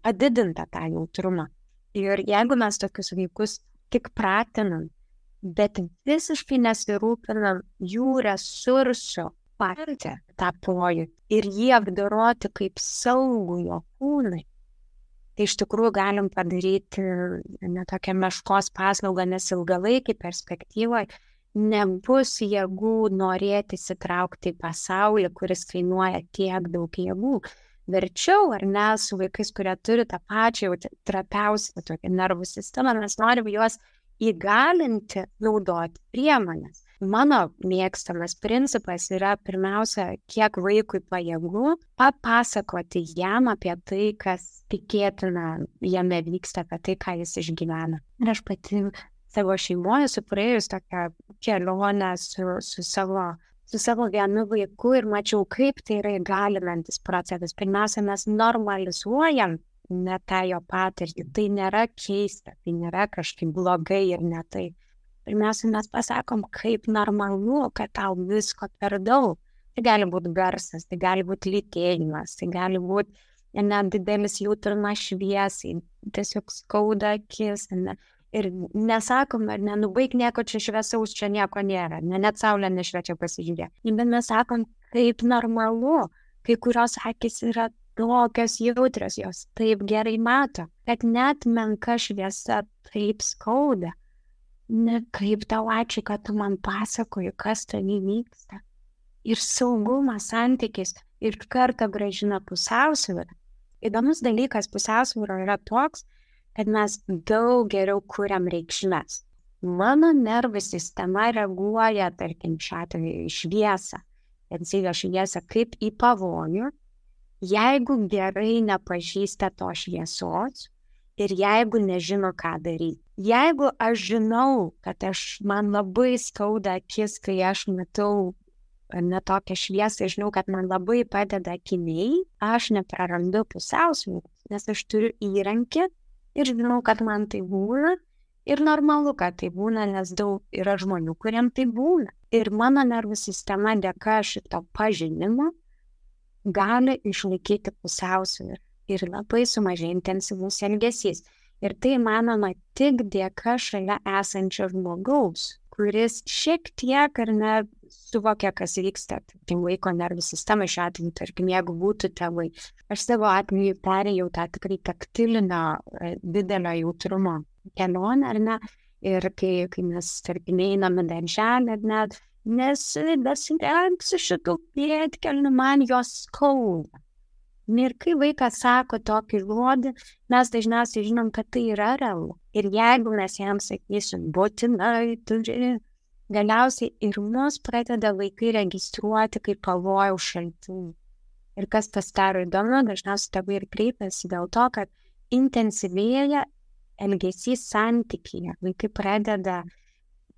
Speaker 3: padidintą tą jautrumą. Ir jeigu mes tokius vaikus tik pratinam, bet visiškai nesirūpinam jų resursų patirti tą pojūtį ir jį apdoroti kaip saugų jo kūnai, tai iš tikrųjų galim padaryti ne tokią meškos paslaugą, nes ilgalaikį perspektyvoje nebus jėgų norėti įsitraukti į pasaulį, kuris kainuoja tiek daug jėgų. Verčiau, ar ne, su vaikais, kurie turi tą pačią trapiausią tokią nervų sistemą, mes norim juos įgalinti naudoti priemonės. Mano mėgstamas principas yra pirmiausia, kiek vaikui pajėgu papasakoti jam apie tai, kas tikėtina jame vyksta, apie tai, ką jis išgyvena. Ir aš pati savo šeimoje esu praėjus tokią kelionę su, su, savo, su savo vienu vaiku ir mačiau, kaip tai yra įgalinantis procesas. Pirmiausia, mes normalizuojam ne tą jo patirtį. Tai nėra keista, tai nėra kažkaip blogai ir ne tai. Pirmiausia, mes pasakom, kaip normalu, kad tau visko per daug. Tai gali būti garsas, tai gali būti lytėjimas, tai gali būti net didelis jautrumas šviesai, tiesiog skauda akis, ne. Ir nesakom, ar nenubaig nieko čia šviesaus, čia nieko nėra, ne, net saulė nešviečia pasižiūrėti. Bet mes sakom, kaip normalu, kai kurios akys yra tokios jautrios, jos taip gerai mato, kad net menka šviesa taip skauda. Ne, kaip tau ačiū, kad tu man pasakoji, kas tavy vyksta. Ir saugumas, santykis ir kartą gražina pusiausvyrą. Įdomus dalykas pusiausvyro yra toks, kad mes daug geriau kuriam reikšmes. Mano nervų sistema reaguoja, tarkim, šiuo atveju į šviesą, intensyvią šviesą kaip į pavojų, jeigu gerai nepažįsta to šviesos ir jeigu nežino, ką daryti. Jeigu aš žinau, kad aš, man labai skauda akis, kai aš matau ne tokią šviesą, žinau, kad man labai padeda akiniai, aš neprarandu pusiausvyrą, nes aš turiu įrankį ir žinau, kad man tai būna ir normalu, kad tai būna, nes daug yra žmonių, kuriem tai būna. Ir mano nervų sistema dėka šito pažinimo gali išlaikyti pusiausvyrą ir labai sumažėja intensyvus elgesys. Ir tai manoma tik dėka šalia esančio žmogaus, kuris šiek tiek ar ne suvokia, kas vyksta, tai vaiko nervų sistema šiuo atveju, tarkim, jeigu būtų tėvai. Aš savo atveju perėjau tą tikrai taktilinio didelio jautrumo kelionę, ar ne, ir kai, kai mes, tarkim, einame darželį, ar ne, nes besirengsiu šitų pėdkelnių, man jos skauda. Ir kai vaikas sako tokį žodį, mes dažniausiai žinom, kad tai yra realu. Ir jeigu mes jam sakysim, būtinai turi, galiausiai ir mus pradeda vaikai registruoti kaip pavojaus šaltinį. Ir kas pasidaro įdomu, dažniausiai tėvai ir kreipiasi dėl to, kad intensyvėja elgesys santykyje. Vaikai pradeda,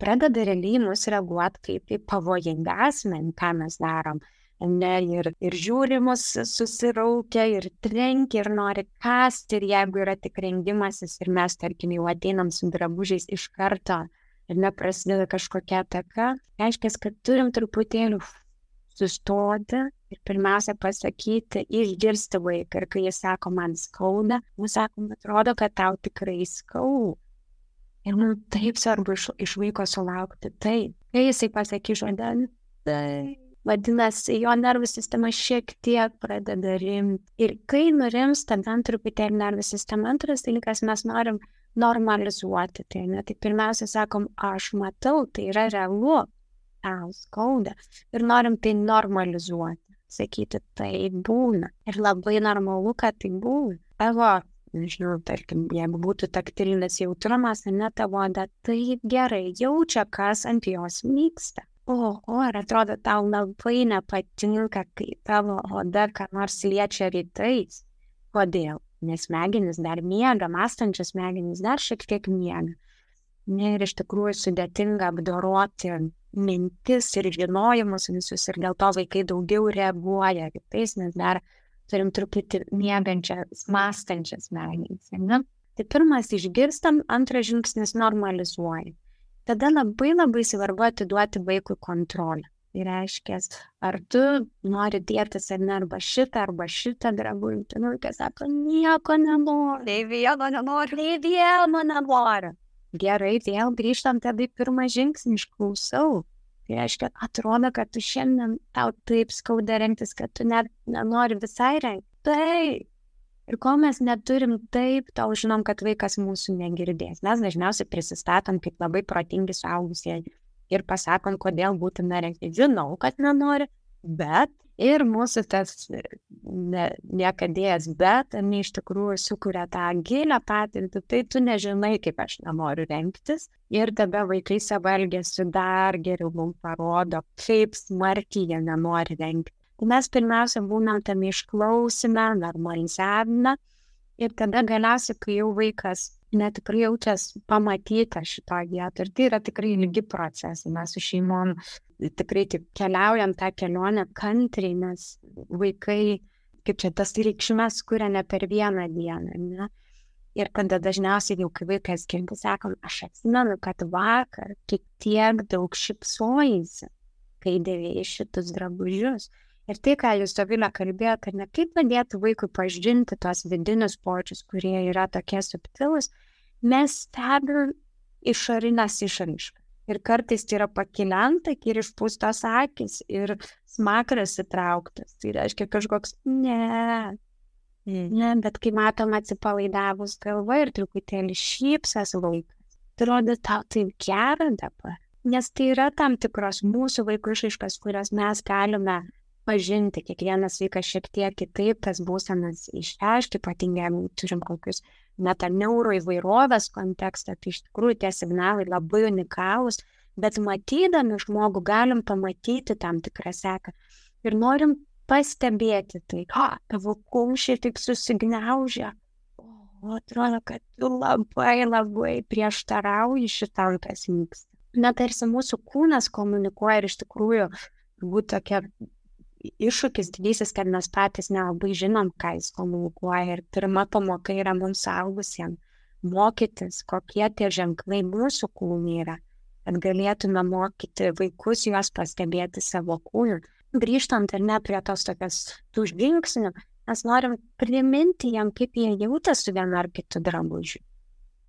Speaker 3: pradeda realiai mus reaguoti kaip į pavojingą asmenį, ką mes darom. Ne, ir, ir žiūrimus susiraukia, ir trenkia, ir nori kasti, ir jeigu yra tik rengimasis, ir mes, tarkim, jau ateinam su drabužiais iš karto, ir neprasideda kažkokia ataka, reiškia, kad turim truputėlį sustoti ir pirmiausia pasakyti, išgirsti vaiką. Ir kai jis sako, man skauda, mums sako, atrodo, kad tau tikrai skauda. Ir mums taip svarbu iš, iš vaiko sulaukti taip. Kai jisai pasakys žodelį, tai vadinasi, jo nervų sistema šiek tiek pradeda rimti. Ir kai nurims, tada truputėlį nervų sistema. Antras dalykas, mes norim normalizuoti. Tai, ne? Tai pirmiausia sakom, aš matau, tai yra realu, tau skauda. Ir norim tai normalizuoti. Sakyti, tai būna. Ir labai normalu, kad tai būna. Tavo, nežinau, tarkim, jeigu būtų taktilinis jautrumas, ne tavo oda, tai gerai jaučia, kas ant jos vyksta. O, o, ar atrodo, tau labai nepatinka, kai tavo oda ką nors liečia rytais. Kodėl? Nes smegenys dar miega, mąstančios smegenys dar šiek tiek miega. Ne, ir iš tikrųjų sudėtinga apdoroti mintis ir žinojimus visus, ir dėl to vaikai daugiau reaguoja rytais, nes dar turim truputį miegančias, mąstančias smegenys. Ne? Tai pirmas išgirstam, antras žingsnis normalizuoja. Tada labai labai svarbu atiduoti vaikui kontrolę. Tai reiškia, ar tu nori dėtis ar ne, arba šitą, arba šitą drabužį. Tai vaikas sako, nieko nenori.
Speaker 2: Nei vieno nenori.
Speaker 3: Nei vieno nenori. Gerai, vėl grįžtam tada į pirmą žingsnį, išklausau. Tai reiškia, atrodo, kad tu šiandien tau taip skauda rengtis, kad tu net nenori visai rengti. Taip. Ir kol mes neturim taip, tol žinom, kad vaikas mūsų negirdės. Mes dažniausiai prisistatom kaip labai protingi suaugusieji ir pasakom, kodėl būtina rengti. Žinau, kad nenori, bet ir mūsų tas ne, niekadėjas, bet ne iš tikrųjų sukuria tą gilę patirtį, tai tu nežinai, kaip aš nenoriu rengtis. Ir tada vaikai savo elgesiu dar geriau mums parodo, kaip smarkiai jie nenori rengti. Mes pirmiausia būnam tam išklausime, normalizavime, ir tada galiausiai, kai jau vaikas netikrai jaučias pamatyta šitoje vietoje, ir tai yra tikrai ilgi procesai, mes su šeimom tikrai tik keliaujam tą kelionę kantriai, nes vaikai, kaip čia tas reikšmes kuria ne per vieną dieną, ne? Ir tada dažniausiai jau, kai vaikas girdi, sakom, aš atsimenu, kad vakar tik tiek daug šypsojaisi, kai dėvėjai šitus drabužius. Ir tai, ką jūs, Dovilė, kalbėjote, kad ne kaip padėti vaikui pažinti tos vidinius počius, kurie yra tokie subtilūs, mes stebim išorinės išraiškas. Ir kartais tai yra pakilianta ir išpūstos akis ir smakras įtrauktas. Tai reiškia kažkoks ne, ne, bet kai matom atsipalaidavus galva ir truputėlį šypsas vaikas, tai rodo tau taip gera dabar. Nes tai yra tam tikros mūsų vaikų išraiškas, kurias mes galime pažinti. Kiekvienas vaikas šiek tiek kitaip tas būsenas išreiškia, ypatingai turim kokius metaneuro įvairovės kontekstą, tai iš tikrųjų tie signalai labai unikalūs, bet matydami žmogų galim pamatyti tam tikrą seką ir norim pastebėti tai, o, tavo kumščiai taip susigniaužia, o, atrodo, kad tu labai labai prieštarauji šitam, kas vyksta. Na, tarsi mūsų kūnas komunikuoja ir iš tikrųjų būtų tokia iššūkis didysis, kad mes patys nelabai žinom, ką jis komunikuoja. Ir pirma pamoka yra mums suaugusiems mokytis, kokie tie ženklai mūsų kūnai yra, kad galėtume mokyti vaikus juos pastebėti savo kūnų. Grįžtant ar ne prie tos tokios tų žingsnių, mes norim priminti jam, kaip jie jauta su vienu ar kitu drabužiu.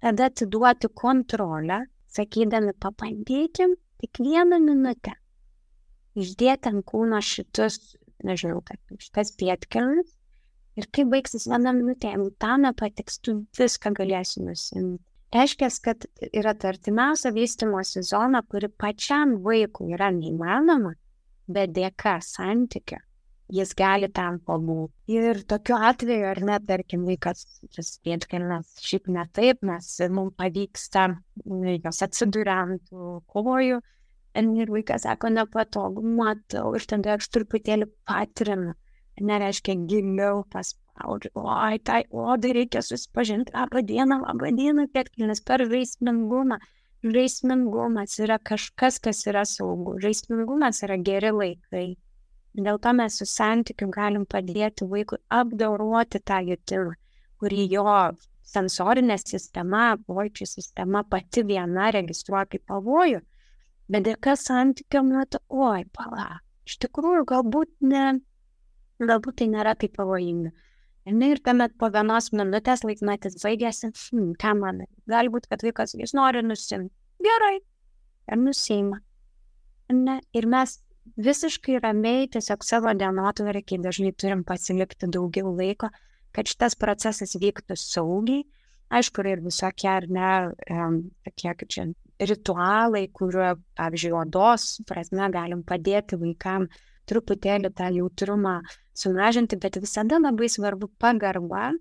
Speaker 3: Tada atiduoti kontrolę, sakydami, pabandykim tik vieną minutę. Išdėti ant kūno šitus, nežinau, šitas pietkelnes ir kai baigsis vieną minutę, jeigu tau nepatiks, tu viską galėsi nusimti. Reiškia, kad yra ta artimiausia vystymosi zona, kuri pačiam vaikui yra neįmanoma, bet dėka santykio jis gali ten pabūti. Ir tokiu atveju, ar ne, tarkim, vaikas, tas pėdkelnes, šiaip ne taip, mes, mums pavyksta jos atsiduria ant kojų, ir vaikas sako, nepatogu, matau, ir tada aš truputėlį patrinu, nereiškia giliau paspaudžiu, oi, tai odai reikia susipažinti, labą dieną, labą dieną, pėdkelnes per žaismingumą. Žaismingumas yra kažkas, kas yra saugu. Žaismingumas yra geri laikai. Dėl to mes su santykiu galim padėti vaikui apdoroti tą jutimą, kurį jo sensorinė sistema, pojūčių sistema pati viena registruoja kaip pavojų. Bet dėka santykio metu, oi, pala, iš tikrųjų galbūt ne, galbūt tai nėra taip pavojinga. Ir tuomet po vienos minutės laikmetis baigėsi, hm, ką manai, gali būti, kad vaikas jis nori nusimti. Gerai, ir nusiima. Ne? Ir mes visiškai ramiai tiesiog savo dienotvarkėj dažnai turim pasilikti daugiau laiko, kad šitas procesas vyktų saugiai. Aišku, ir visokie, ar ne, um, tokie, kaip čia, ritualai, kuriuo, pavyzdžiui, odos prasme galim padėti vaikam truputėlį tą jautrumą sumažinti, bet visada labai svarbu pagarba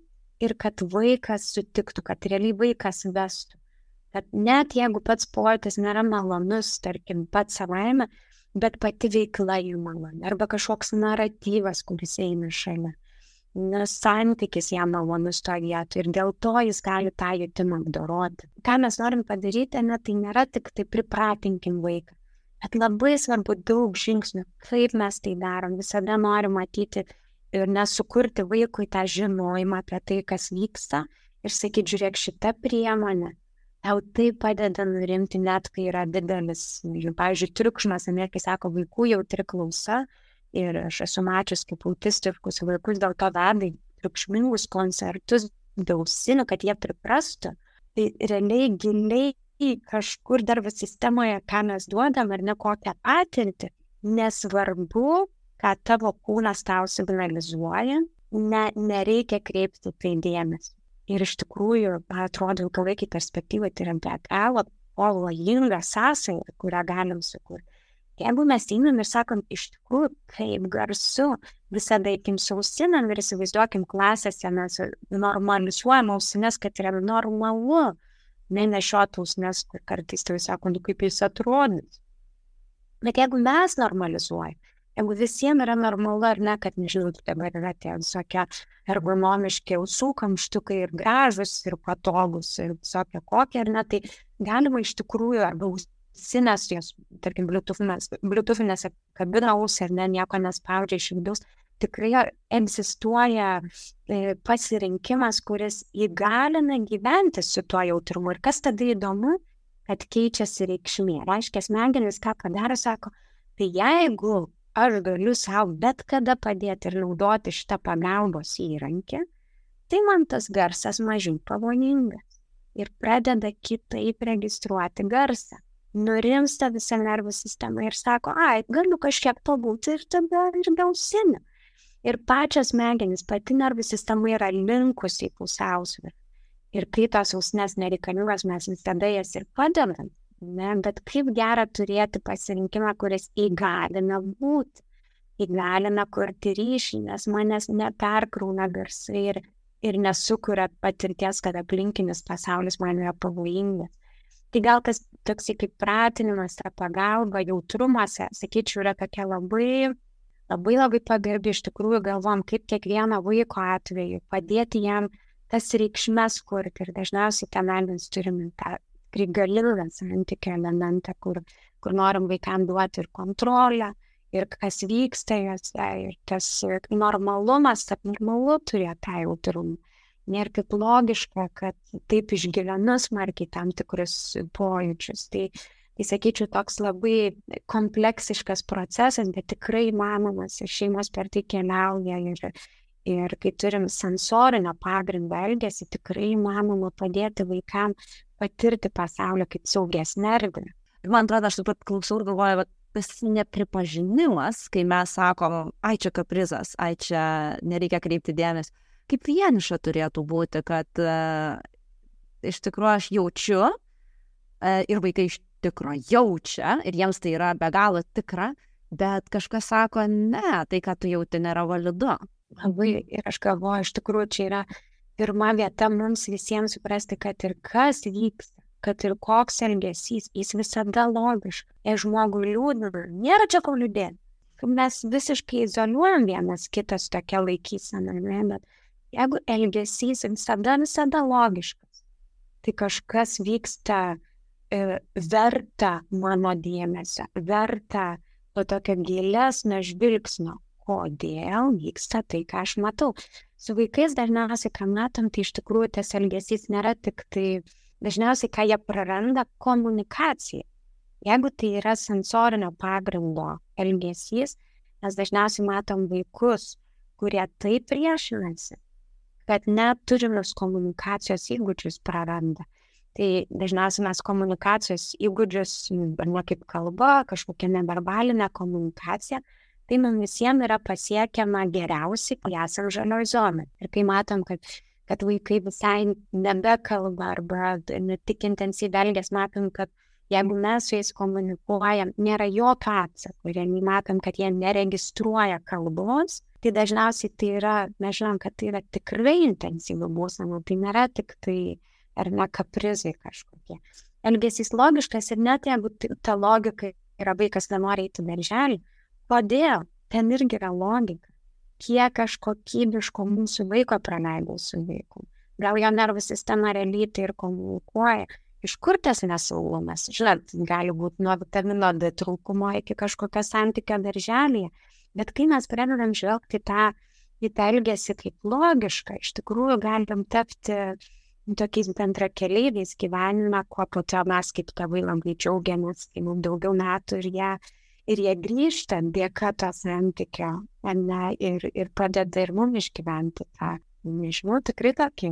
Speaker 3: ir kad vaikas sutiktų, kad realiai vaikas vestų. Kad net jeigu pats pojūtis nėra malonus, tarkim, pats savaime, bet pati veikla jų maloni, arba kažkoks naratyvas, kuris eina šalia. Nes santykis jam malonus to vietoj ir dėl to jis gali tą jutimą apdoroti. Ką mes norim padaryti, ne, tai nėra tik tai pripratinkim vaiką. Bet labai svarbu daug žingsnių, kaip mes tai darom. Visada norim matyti ir nesukurti vaikui tą žinojimą apie tai, kas vyksta ir sakyti, žiūrėk, šita priemonė, tau tai padeda nurimti net, kai yra didelis, pavyzdžiui, triukšmas, ne, kai sako, vaikų jautri klausa ir aš esu mačius kaip autistiškus vaikus dėl to veda į triukšmingus koncertus dausinių, kad jie priprastų. Tai realiai giliai kažkur dar sistemoje, ką mes duodam ar ne kokią patirtį, nesvarbu, ką tavo kūnas tau signalizuoja, ne, nereikia kreipti tai dėmesį. Ir iš tikrųjų, atrodo, ilgalaikį perspektyvą tai yra be galo pavojinga sąsaja, kurią galim sukurti. Jeigu mes einam ir sakom, iš tikrųjų, kaip garsu, visada eikim su ausinėm ir įsivaizduokim klasėse, mes normalizuojam ausines, kad yra normalu. Nenešiotaus, nes kartais tai sako, nu kaip jis atrodys. Bet jeigu mes normalizuojam, jeigu visiems yra normalu ar ne, kad nežinau, dabar yra tie visokie ergonomiški ausų kamštukai ir gražus, ir patogus, ir visokie kokie, ar ne, tai galima iš tikrųjų, arba ausinės, jos, tarkim, bluetoothinės kabina ausį, ar ne, nieko nespaudžia iš vidaus, tikrai egzistuoja pasirinkimas, kuris įgalina gyventi su tuo jautrumu. Ir kas tada įdomu, kad keičiasi reikšmė. Reiškia, smegenys ką padaro, sako, tai jeigu aš galiu savo bet kada padėti ir naudoti šitą pagalbos įrankį, tai man tas garsas mažiau pavojingas. Ir pradeda kitaip registruoti garsą. Nurimsta visa nervų sistema ir sako, ai, galiu kažkiek pabūti ir tada ir gausinę. Ir pačios smegenys, pati nervų sistema yra linkusi į pusiausvyrą. Ir kai tos ausinės nereikalingos, mes visada jas ir padedam. Ne? Bet kaip gera turėti pasirinkimą, kuris įgalina būti, įgalina kurti ryšį, nes manęs neperkrauna garsai ir, ir nesukuria patirties, kad aplinkinis pasaulis man yra pavojingas. Tai gal tas toksai kaip pratinimas, ta pagalba, jautrumas, sakyčiau, yra tokia labai... Labai labai pagarbi, iš tikrųjų galvom, kaip kiekvieno vaiko atveju padėti jam tas reikšmes kurti. Ir dažniausiai ten mes turime tą galingą santykio elementą, kur, kur norim vaikam duoti ir kontrolę, ir kas vyksta juose, ir tas normalumas, kad normalu turėti tą jautrumą. Nėra kaip logiška, kad taip išgyvenu smarkiai tam tikrus pojūčius. Tai Tai sakyčiau, toks labai kompleksiškas procesas, bet tikrai įmanomas ir šeimos per tai keliauja ir, ir kai turim sensorinio pagrindo elgesį, tikrai įmanoma padėti vaikam patirti pasaulio kaip saugesnę erdvę.
Speaker 2: Ir man atrodo, aš taip pat klausau ir galvoju, tas nepripažinimas, kai mes sakom, ai čia kaprizas, ai čia nereikia kreipti dėmesį, kaip vieniša turėtų būti, kad uh, iš tikrųjų aš jaučiu uh, ir vaikai iš tikro jaučia, ir jiems tai yra be galo tikra, bet kažkas sako, ne, tai, ką tu jauti, nėra validu.
Speaker 3: Labai, ir aš galvoju, iš tikrųjų, čia yra pirma vieta mums visiems suprasti, kad ir kas vyksta, kad ir koks elgesys, jis visada logiškas. Jei žmogui liūdna, nėra čia ko liūdėti. Mes visiškai izoliuojam vienas kitas tokia laikysena, ne, bet jeigu elgesys visada, visada logiškas, tai kažkas vyksta e, verta mano dėmesio, verta to tokio gilesnio žvilgsnio, kodėl vyksta tai, ką aš matau. Su vaikais dažniausiai, ką matom, tai iš tikrųjų tas elgesys nėra tik tai, dažniausiai, ką jie praranda, komunikacija. Jeigu tai yra sensorinio pagrindo elgesys, mes dažniausiai matom vaikus, kurie taip priešinasi, kad net turimus komunikacijos įgūdžius praranda. Tai dažniausiai mes komunikacijos įgūdžius, ar ne kaip kalba, kažkokia neverbalinė komunikacija, tai mums visiems yra pasiekiama geriausiai, kai esam žalioj zonai. Ir kai matom, kad, kad vaikai visai nebekalba arba ne tik intensyviai elgiasi, matom, kad jeigu mes su jais komunikuojam, nėra jokio atsako, ir matom, kad jie neregistruoja kalbos, tai dažniausiai tai yra, mes žinom, kad tai yra tikrai intensyvi būsena, tai nėra tik tai ar ne kaprizai kažkokie. Elgesys logiškas ir net jeigu ta logika yra vaikas nenori eiti darželį, kodėl? Ten irgi yra logika. Kiek aš kokybiško mūsų vaiko praleidau su vaiku. Gal jo nervų sistema realiai tai ir komunikuoja. Iš kur tas nesaugumas? Žinot, gali būti nuo vitamino D trūkumo iki kažkokio santykio darželėje. Bet kai mes pradedam žvelgti tą, į tą elgesį kaip logišką, iš tikrųjų galim tapti tokiais bendrakeleiviais gyvenime, kuo po to mes kaip tėvai labai džiaugiamės, kai mums daugiau metų ir jie Ir jie grįžta dėka to santykio, ne, ir, ir padeda ir mums išgyventi tą, nežinau, tikrai tokį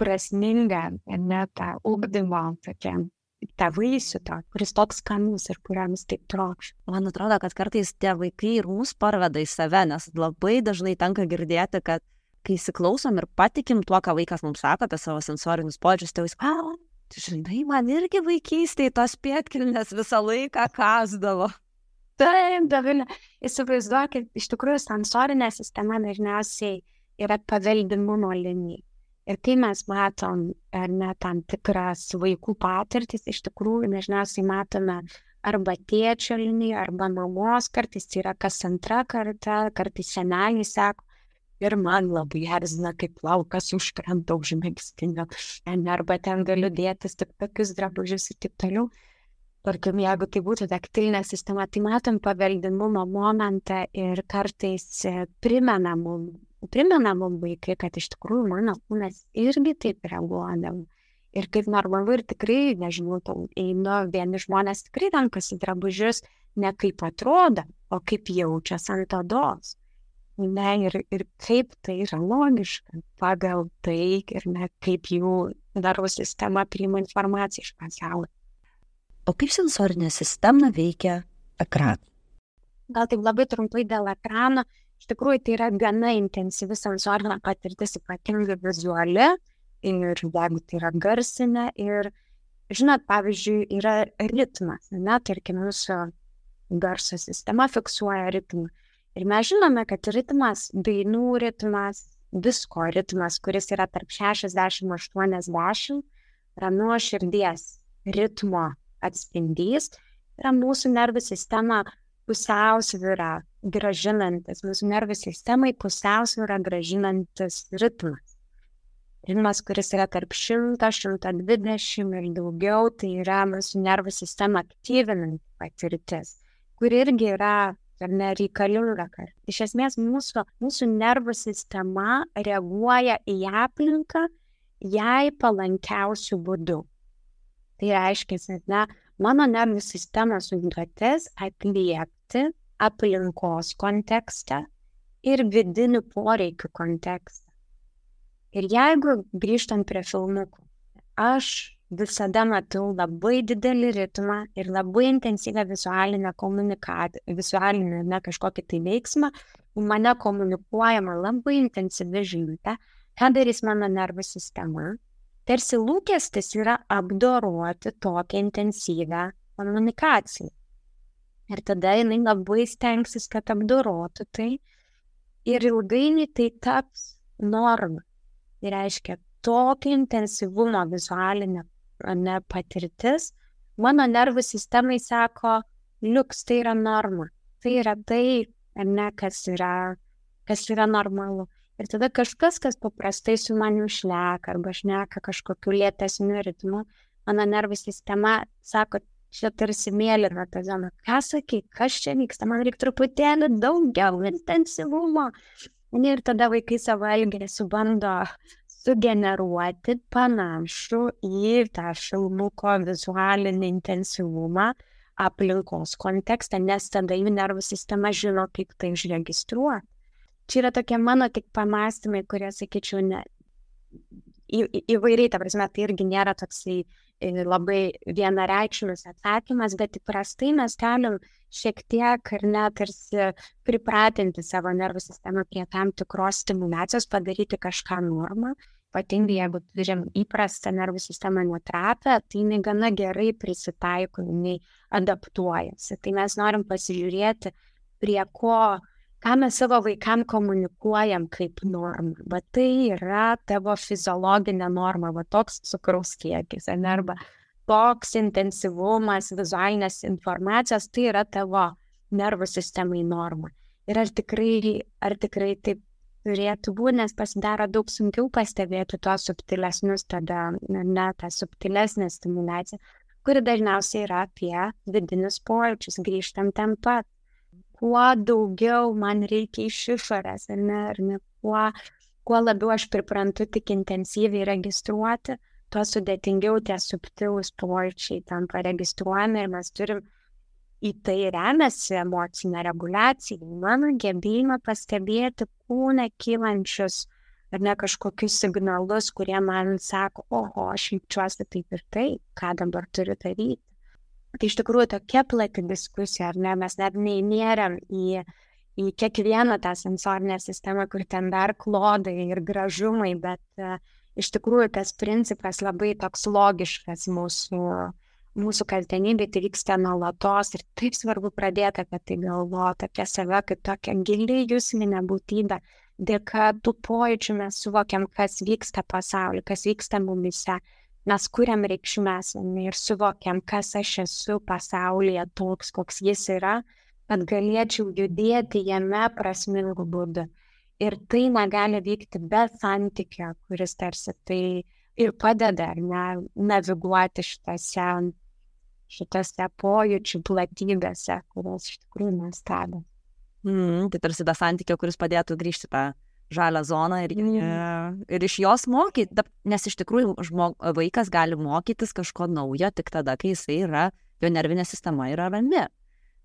Speaker 3: prasmingą, ne, tą ugdymo, tokią, tą vaisių, to, kuris toks skanus ir kuriams taip trokš.
Speaker 2: Man atrodo, kad kartais tie vaikai ir mus parveda į save, nes labai dažnai tenka girdėti, kad kai įsiklausom ir patikim tuo, ką vaikas mums sako apie savo sensorinius pojūčius, tai jis, a, žinai, man irgi vaikystėje tos pėdkelnės visą laiką kasdavo.
Speaker 3: Taip, Dovilė, įsivaizduokit, iš tikrųjų sensorinė sistema dažniausiai yra paveldimumo linija. Ir kai mes matom, ar ne, tam tikras vaikų patirtis, iš tikrųjų dažniausiai matome arba tėčio liniją, arba mamos, kartais tai yra kas antra karta, kartais seneliai sako, ir man labai erzina, kaip plaukas užkrenta už megztinio, arba ten galiu dėtis tik tokius drabužius ir taip toliau. Tarkim, jeigu tai būtų taktilinė sistema, tai matom paveldimumo momentą ir kartais primena mum, primena mum vaikai, kad iš tikrųjų mano kūnas irgi taip reaguodavo. Ir kaip normalu ir tikrai, nežinau, einu, vieni žmonės tikrai renkasi drabužius ne kaip atrodo, o kaip jaučias ant odos. Ne, ir, ir kaip tai yra logiška pagal tai ir ne kaip jų nervų sistema priima informaciją iš pasaulio.
Speaker 2: O kaip sensorinė sistema veikia ekraną?
Speaker 3: Gal taip labai trumpai dėl ekrano. Iš tikrųjų, tai yra gana intensyvi sensorinė patirtis, ypatingai vizuali, ir jeigu tai yra garsinė. Ir, žinot, pavyzdžiui, yra ritmas, ne, tarkim, mūsų garso sistema fiksuoja ritmą. Ir mes žinome, kad ritmas, dainų ritmas, visko ritmas, kuris yra tarp šešiasdešimt aštuoniasdešimt, yra nuo širdies ritmo atspindys, yra mūsų nervų sistema pusiausvyrą gražinantis, mūsų nervų sistemai pusiausvyrą gražinantis ritmas. Ritmas, kuris yra tarp šimto, šimto dvidešimt ir daugiau, tai yra mūsų nervų sistema aktyvinanti patirtis, kuri irgi yra ar nereikalinga. Iš esmės, mūsų, mūsų nervų sistema reaguoja į aplinką jai palankiausių būdų. Tai reiškia, kad ne, mano nervų sistemos užduotis atliepti aplinkos kontekstą ir vidinių poreikių kontekstą. Ir jeigu grįžtant prie filmukų, aš visada matau labai didelį ritmą ir labai intensyvę vizualinę komunikaciją, vizualinę ne kažkokį tai veiksmą, mane komunikuojama labai intensyvi žinutė, ką darys mano nervų sistema. Tarsi lūkestis yra apdoroti tokią intensyvę komunikaciją. Ir tada jinai labai stengsis, kad apdorotų tai. Ir ilgainiui tai taps norma. Tai reiškia, tokio intensyvumo vizualinė ne, patirtis, mano nervų sistemai sako, liuks, tai yra norma. Tai yra tai, ne, kas yra, kas yra normalu. Ir tada kažkas, kas paprastai su maniu šneka arba šneka kažkokiu lėtesniu ritmu, mano nervų sistema sako, čia tarsi mėlyna ta zona. Ką sakai, kas čia vyksta, man reikia truputėlį daugiau intensyvumo. Ir tada vaikai savo elgesį bando sugeneruoti panašų į tą filmuko vizualinį intensyvumą aplinkos kontekstą, nes tada jų nervų sistema žino, kaip tai užregistruoti. Čia yra tokie mano tik pamastymai, kurie, sakyčiau, ne, į, į, įvairiai, ta prasme, tai irgi nėra toksai labai vienareikšmis atsakymas, bet įprastai mes galim šiek tiek ar net tarsi pripratinti savo nervų sistemą prie tam tikros stimulacijos, padaryti kažką normą. Ypatingai, jeigu turim įprastą nervų sistemą nutrapę, tai jinai gana gerai prisitaiko, jinai adaptuojasi. Tai mes norim pasižiūrėti, prie ko, ką mes savo vaikam komunikuojam kaip normą. Bet tai yra tavo fiziologinė norma, va toks cukraus kiekis, arba toks intensyvumas vizualinės informacijos, tai yra tavo nervų sistemai norma. Ir ar tikrai, ar tikrai taip turėtų būti, nes pasidaro daug sunkiau pastebėti tuos subtilesnius, tada ne tą subtilesnę stimulaciją, kuri dažniausiai yra apie vidinius pojūčius, grįžtam ten pat. Kuo daugiau man reikia iš išorės, ar ne, ar ne, kuo, kuo labiau aš priprantu tik intensyviai registruoti, tuo sudėtingiau tie subtilūs pojūčiai tampa registruojami ir mes turim į tai remiasi emocinė reguliacija, mano gebėjimą pastebėti kūne kylančius ar ne kažkokius signalus, kurie man sako, oho, aš jaučiuosi taip ir taip, ką dabar turiu daryti. Tai iš tikrųjų tokia plati diskusija, ar ne, mes net neįnėrėm į, į kiekvieną tą sensorinę sistemą, kur ten dar klodai ir gražumai, bet uh, iš tikrųjų tas principas labai toks logiškas mūsų mūsų kasdienybė, tai vyksta nuolatos ir taip svarbu pradėti apie tai galvoti, apie save kaip tokią giliai juslinę būtybę. Dėka tų pojūčių mes suvokiam, kas vyksta pasaulyje, kas vyksta mumise. Mes kuriam reikšmes ir suvokiam, kas aš esu pasaulyje toks, koks jis yra, kad galėčiau judėti jame prasmingų būdų. Ir tai negali vykti be santykio, kuris tarsi tai ir padeda ne, naviguoti šitose, šitose pojūčių platybėse, kurios iš tikrųjų mes stebime.
Speaker 2: Mm, tai tarsi be santykio, kuris padėtų grįžti tą žalią zoną ir, mm. ir iš jos mokyti, nes iš tikrųjų žmog, vaikas gali mokytis kažko naujo tik tada, kai jisai yra, jo nervinė sistema yra rami.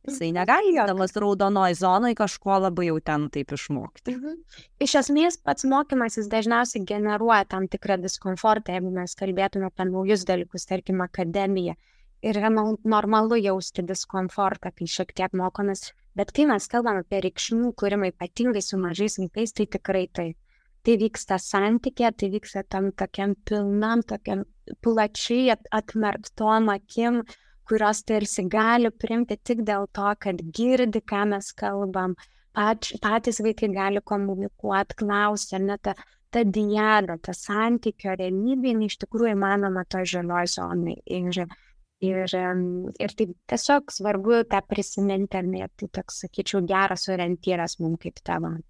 Speaker 2: Jisai negali damas raudonoj zonoj kažko labai jau ten taip išmokti.
Speaker 3: Mhm. Iš esmės pats mokymasis dažniausiai generuoja tam tikrą diskomfortą, jeigu mes kalbėtume apie naujus dalykus, tarkim akademiją. Ir yra normalu jausti diskomfortą, kai šiek tiek mokomės, bet kai mes kalbame apie reikšmių kūrimą ypatingai su mažais vaikais, tai tikrai tai. Tai vyksta santykė, tai vyksta tam tokiam pilnam, tokiam plačiai atmerktom akim, kurios tarsi gali priimti tik dėl to, kad girdi, ką mes kalbam, Pat, patys vaikai gali komunikuoti, klausti, ne ta, ta diada, ta santykio realybė, iš tikrųjų įmanoma to žalioj zonai. Ir, ir, ir tai tiesiog svarbu tą prisiminti, ir tai toks, sakyčiau, geras orientyras mums kaip tėvam.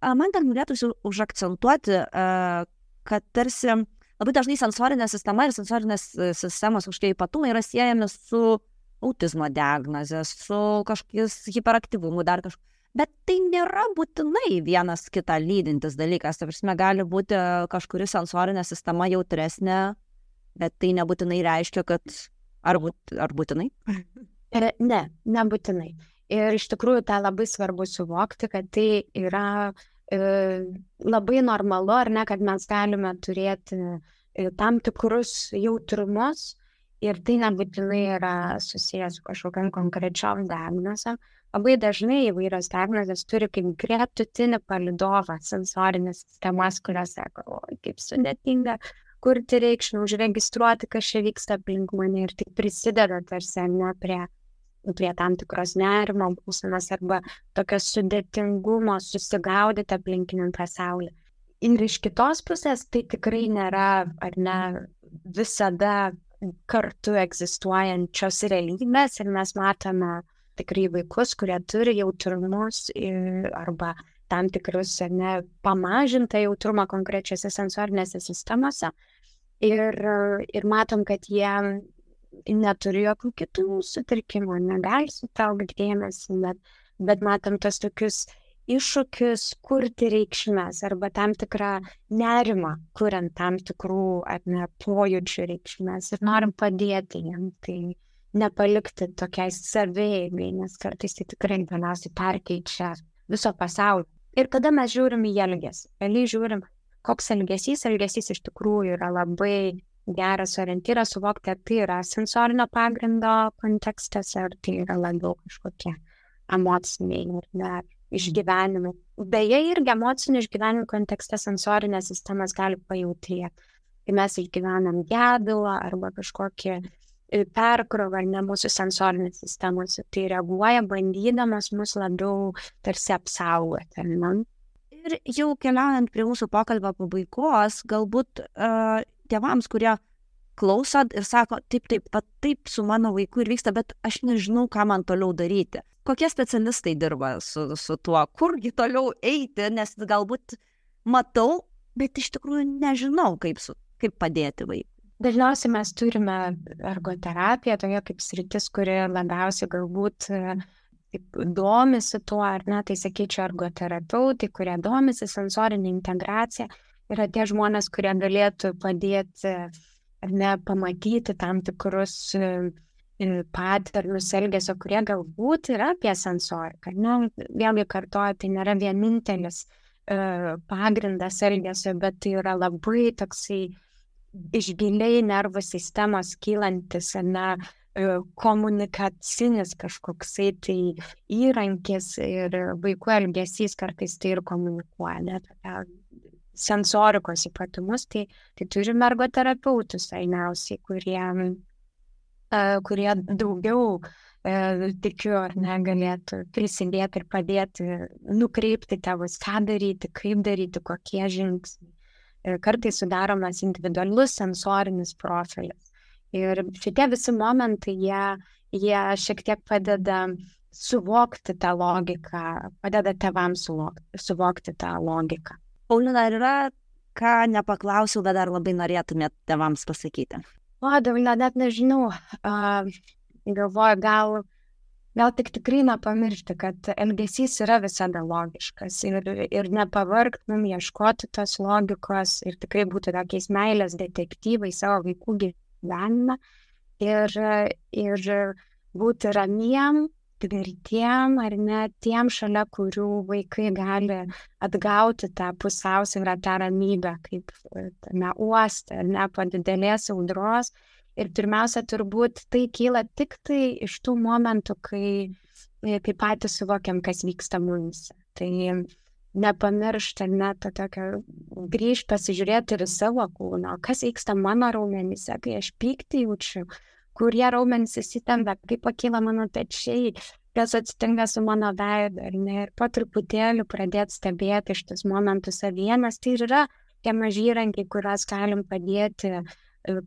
Speaker 2: Man dar norėtųsi užakcentuoti, kad tarsi labai dažnai sensorinė sistema ir sensorinės sistemos kažkokie ypatumai yra siejami su autizmo diagnozė, su kažkokiais hiperaktyvumu, dar kažkokiu. Bet tai nėra būtinai vienas kitą lydintis dalykas. Tai prasme, gali būti kažkuri sensorinė sistema jautresnė, bet tai nebūtinai reiškia, kad ar, būt, ar būtinai?
Speaker 3: Ne, nebūtinai. Ir iš tikrųjų tą labai svarbu suvokti, kad tai yra labai normalu, ar ne, kad mes galime turėti tam tikrus jautrumus ir tai nebūtinai yra susijęs su kažkokiam konkrečiom diagnozėm. Labai dažnai įvairios diagnozės turi kaip gretutinį palydovą sensorinės sistemas, kurios sako, o, kaip sudėtinga kurti reikšmę, užregistruoti, kas čia vyksta aplink mane ir tik prisideda tarsi ne prie prie tam tikros nerimo būsenos arba tokio sudėtingumo susigaudyti aplinkiniam pasauliu. Ir iš kitos pusės tai tikrai nėra, ar ne, visada kartu egzistuojančios realybės ir mes matome tikrai vaikus, kurie turi jautrumus ir, arba tam tikrus, ne, pamažintą jautrumą konkrečiose sensorinėse sistemose. Ir, ir matom, kad jie neturi jokių kitų sutrikimų, negali sutelkti dėmesį, bet, bet matom tos tokius iššūkius kurti reikšmes arba tam tikrą nerimą, kuriant tam tikrų ar ne pojūčių reikšmes ir norim padėti jiem, tai nepalikti tokiai saveigai, nes kartais tai tikrai galiausiai perkeičia viso pasaulio. Ir tada mes žiūrim į elgesį. Realiai žiūrim, koks elgesys. Elgesys iš tikrųjų yra labai geras orientyras suvokti, ar tai yra sensorinio pagrindo kontekstas, ar tai yra labiau kažkokie emociniai ar išgyvenimai. Beje, irgi emocinių išgyvenimų kontekste sensorinės sistemas gali pajautrėti. Kai mes išgyvenam gedulą arba kažkokį perkrovą, ne mūsų sensorinės sistemos, tai reaguoja bandydamas mus labiau tarsi apsaugoti. Ne?
Speaker 2: Ir jau keliaujant prie mūsų pokalbio pabaigos, galbūt uh, tėvams, kurie klausot ir sako, taip, taip, va, taip su mano vaiku ir vyksta, bet aš nežinau, ką man toliau daryti. Kokie specialistai dirba su, su tuo, kurgi toliau eiti, nes galbūt matau, bet iš tikrųjų nežinau, kaip, su, kaip padėti vaikui.
Speaker 3: Dažniausiai mes turime ergoterapiją, tokia kaip sritis, kuri labiausiai galbūt taip, domisi tuo, ar ne, tai sakyčiau, ergoterapeutai, kurie domisi sensorinė integracija, yra tie žmonės, kurie galėtų padėti, ar ne, pamatyti tam tikrus paternus elgesio, kurie galbūt yra apie sensoriką. Ne? Vėlgi kartuoju, tai nėra vienintelis uh, pagrindas elgesio, bet tai yra labai toksai iš giliai nervų sistemos kylantis, na, komunikacinis kažkoksai tai įrankis ir vaikų elgesys kartais tai ir komunikuoja, net sensorikos ypatumus, tai, tai turime ergoterapeutus dažniausiai, kurie, kurie daugiau, tikiu, ar ne, galėtų prisidėti ir padėti nukreipti tėvus, ką daryti, kaip daryti, kokie žingsniai. Kartais sudaromas individualus sensorinis profilis. Ir šitie visi momentai, jie, jie šiek tiek padeda suvokti tą logiką, padeda tėvams suvokti, suvokti tą logiką.
Speaker 2: Paulina, ar yra, ką nepaklausiau, bet dar labai norėtumėt tėvams pasakyti?
Speaker 3: O, Davilė, net nežinau. Uh, galvoju, gal... Gal tik tikrai nepamiršti, kad elgesys yra visada logiškas ir, ir nepavargt mum ieškoti tos logikos ir tikrai būti tokiais meilės detektyvai savo vaikų gyvenime ir, ir būti ramiem, tvirtiem ar ne tiem, šalia kurių vaikai gali atgauti tą pusiausvyrą, tą ramybę, kaip tame uoste, ar ne, po didelės audros. Ir pirmiausia, turbūt tai kyla tik tai iš tų momentų, kai, kai patys suvokiam, kas vyksta mums. Tai nepamiršti, net to tokio grįžti, pasižiūrėti ir savo kūno, kas vyksta mano raumenyse, kai aš pyktį jaučiu, kurie raumenys įsitempia, kaip pakyla mano pečiai, kas atsitinka su mano veidu, ar ne, ir po truputėlį pradėti stebėti šitus momentus savyje, nes tai yra tie maži įrankiai, kuriuos galim padėti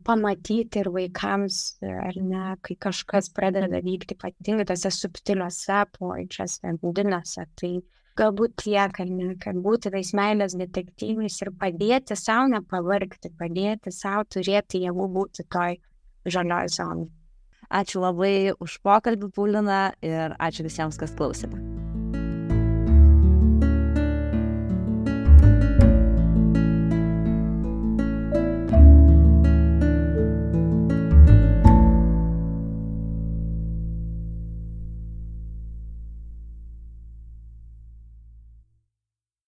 Speaker 3: pamatyti ir vaikams, ar ne, kai kažkas pradeda vykti ypatingai tose subtiliuose pojūčiuose, vidiniuose, tai galbūt tiek, ar ne, kad būti tais meilės detektyvais ir padėti savo nepavargti, padėti savo turėti jėgų būti toj žalioj zonai.
Speaker 2: Ačiū labai už pokalbį, Paulina, ir ačiū visiems, kas klausėte.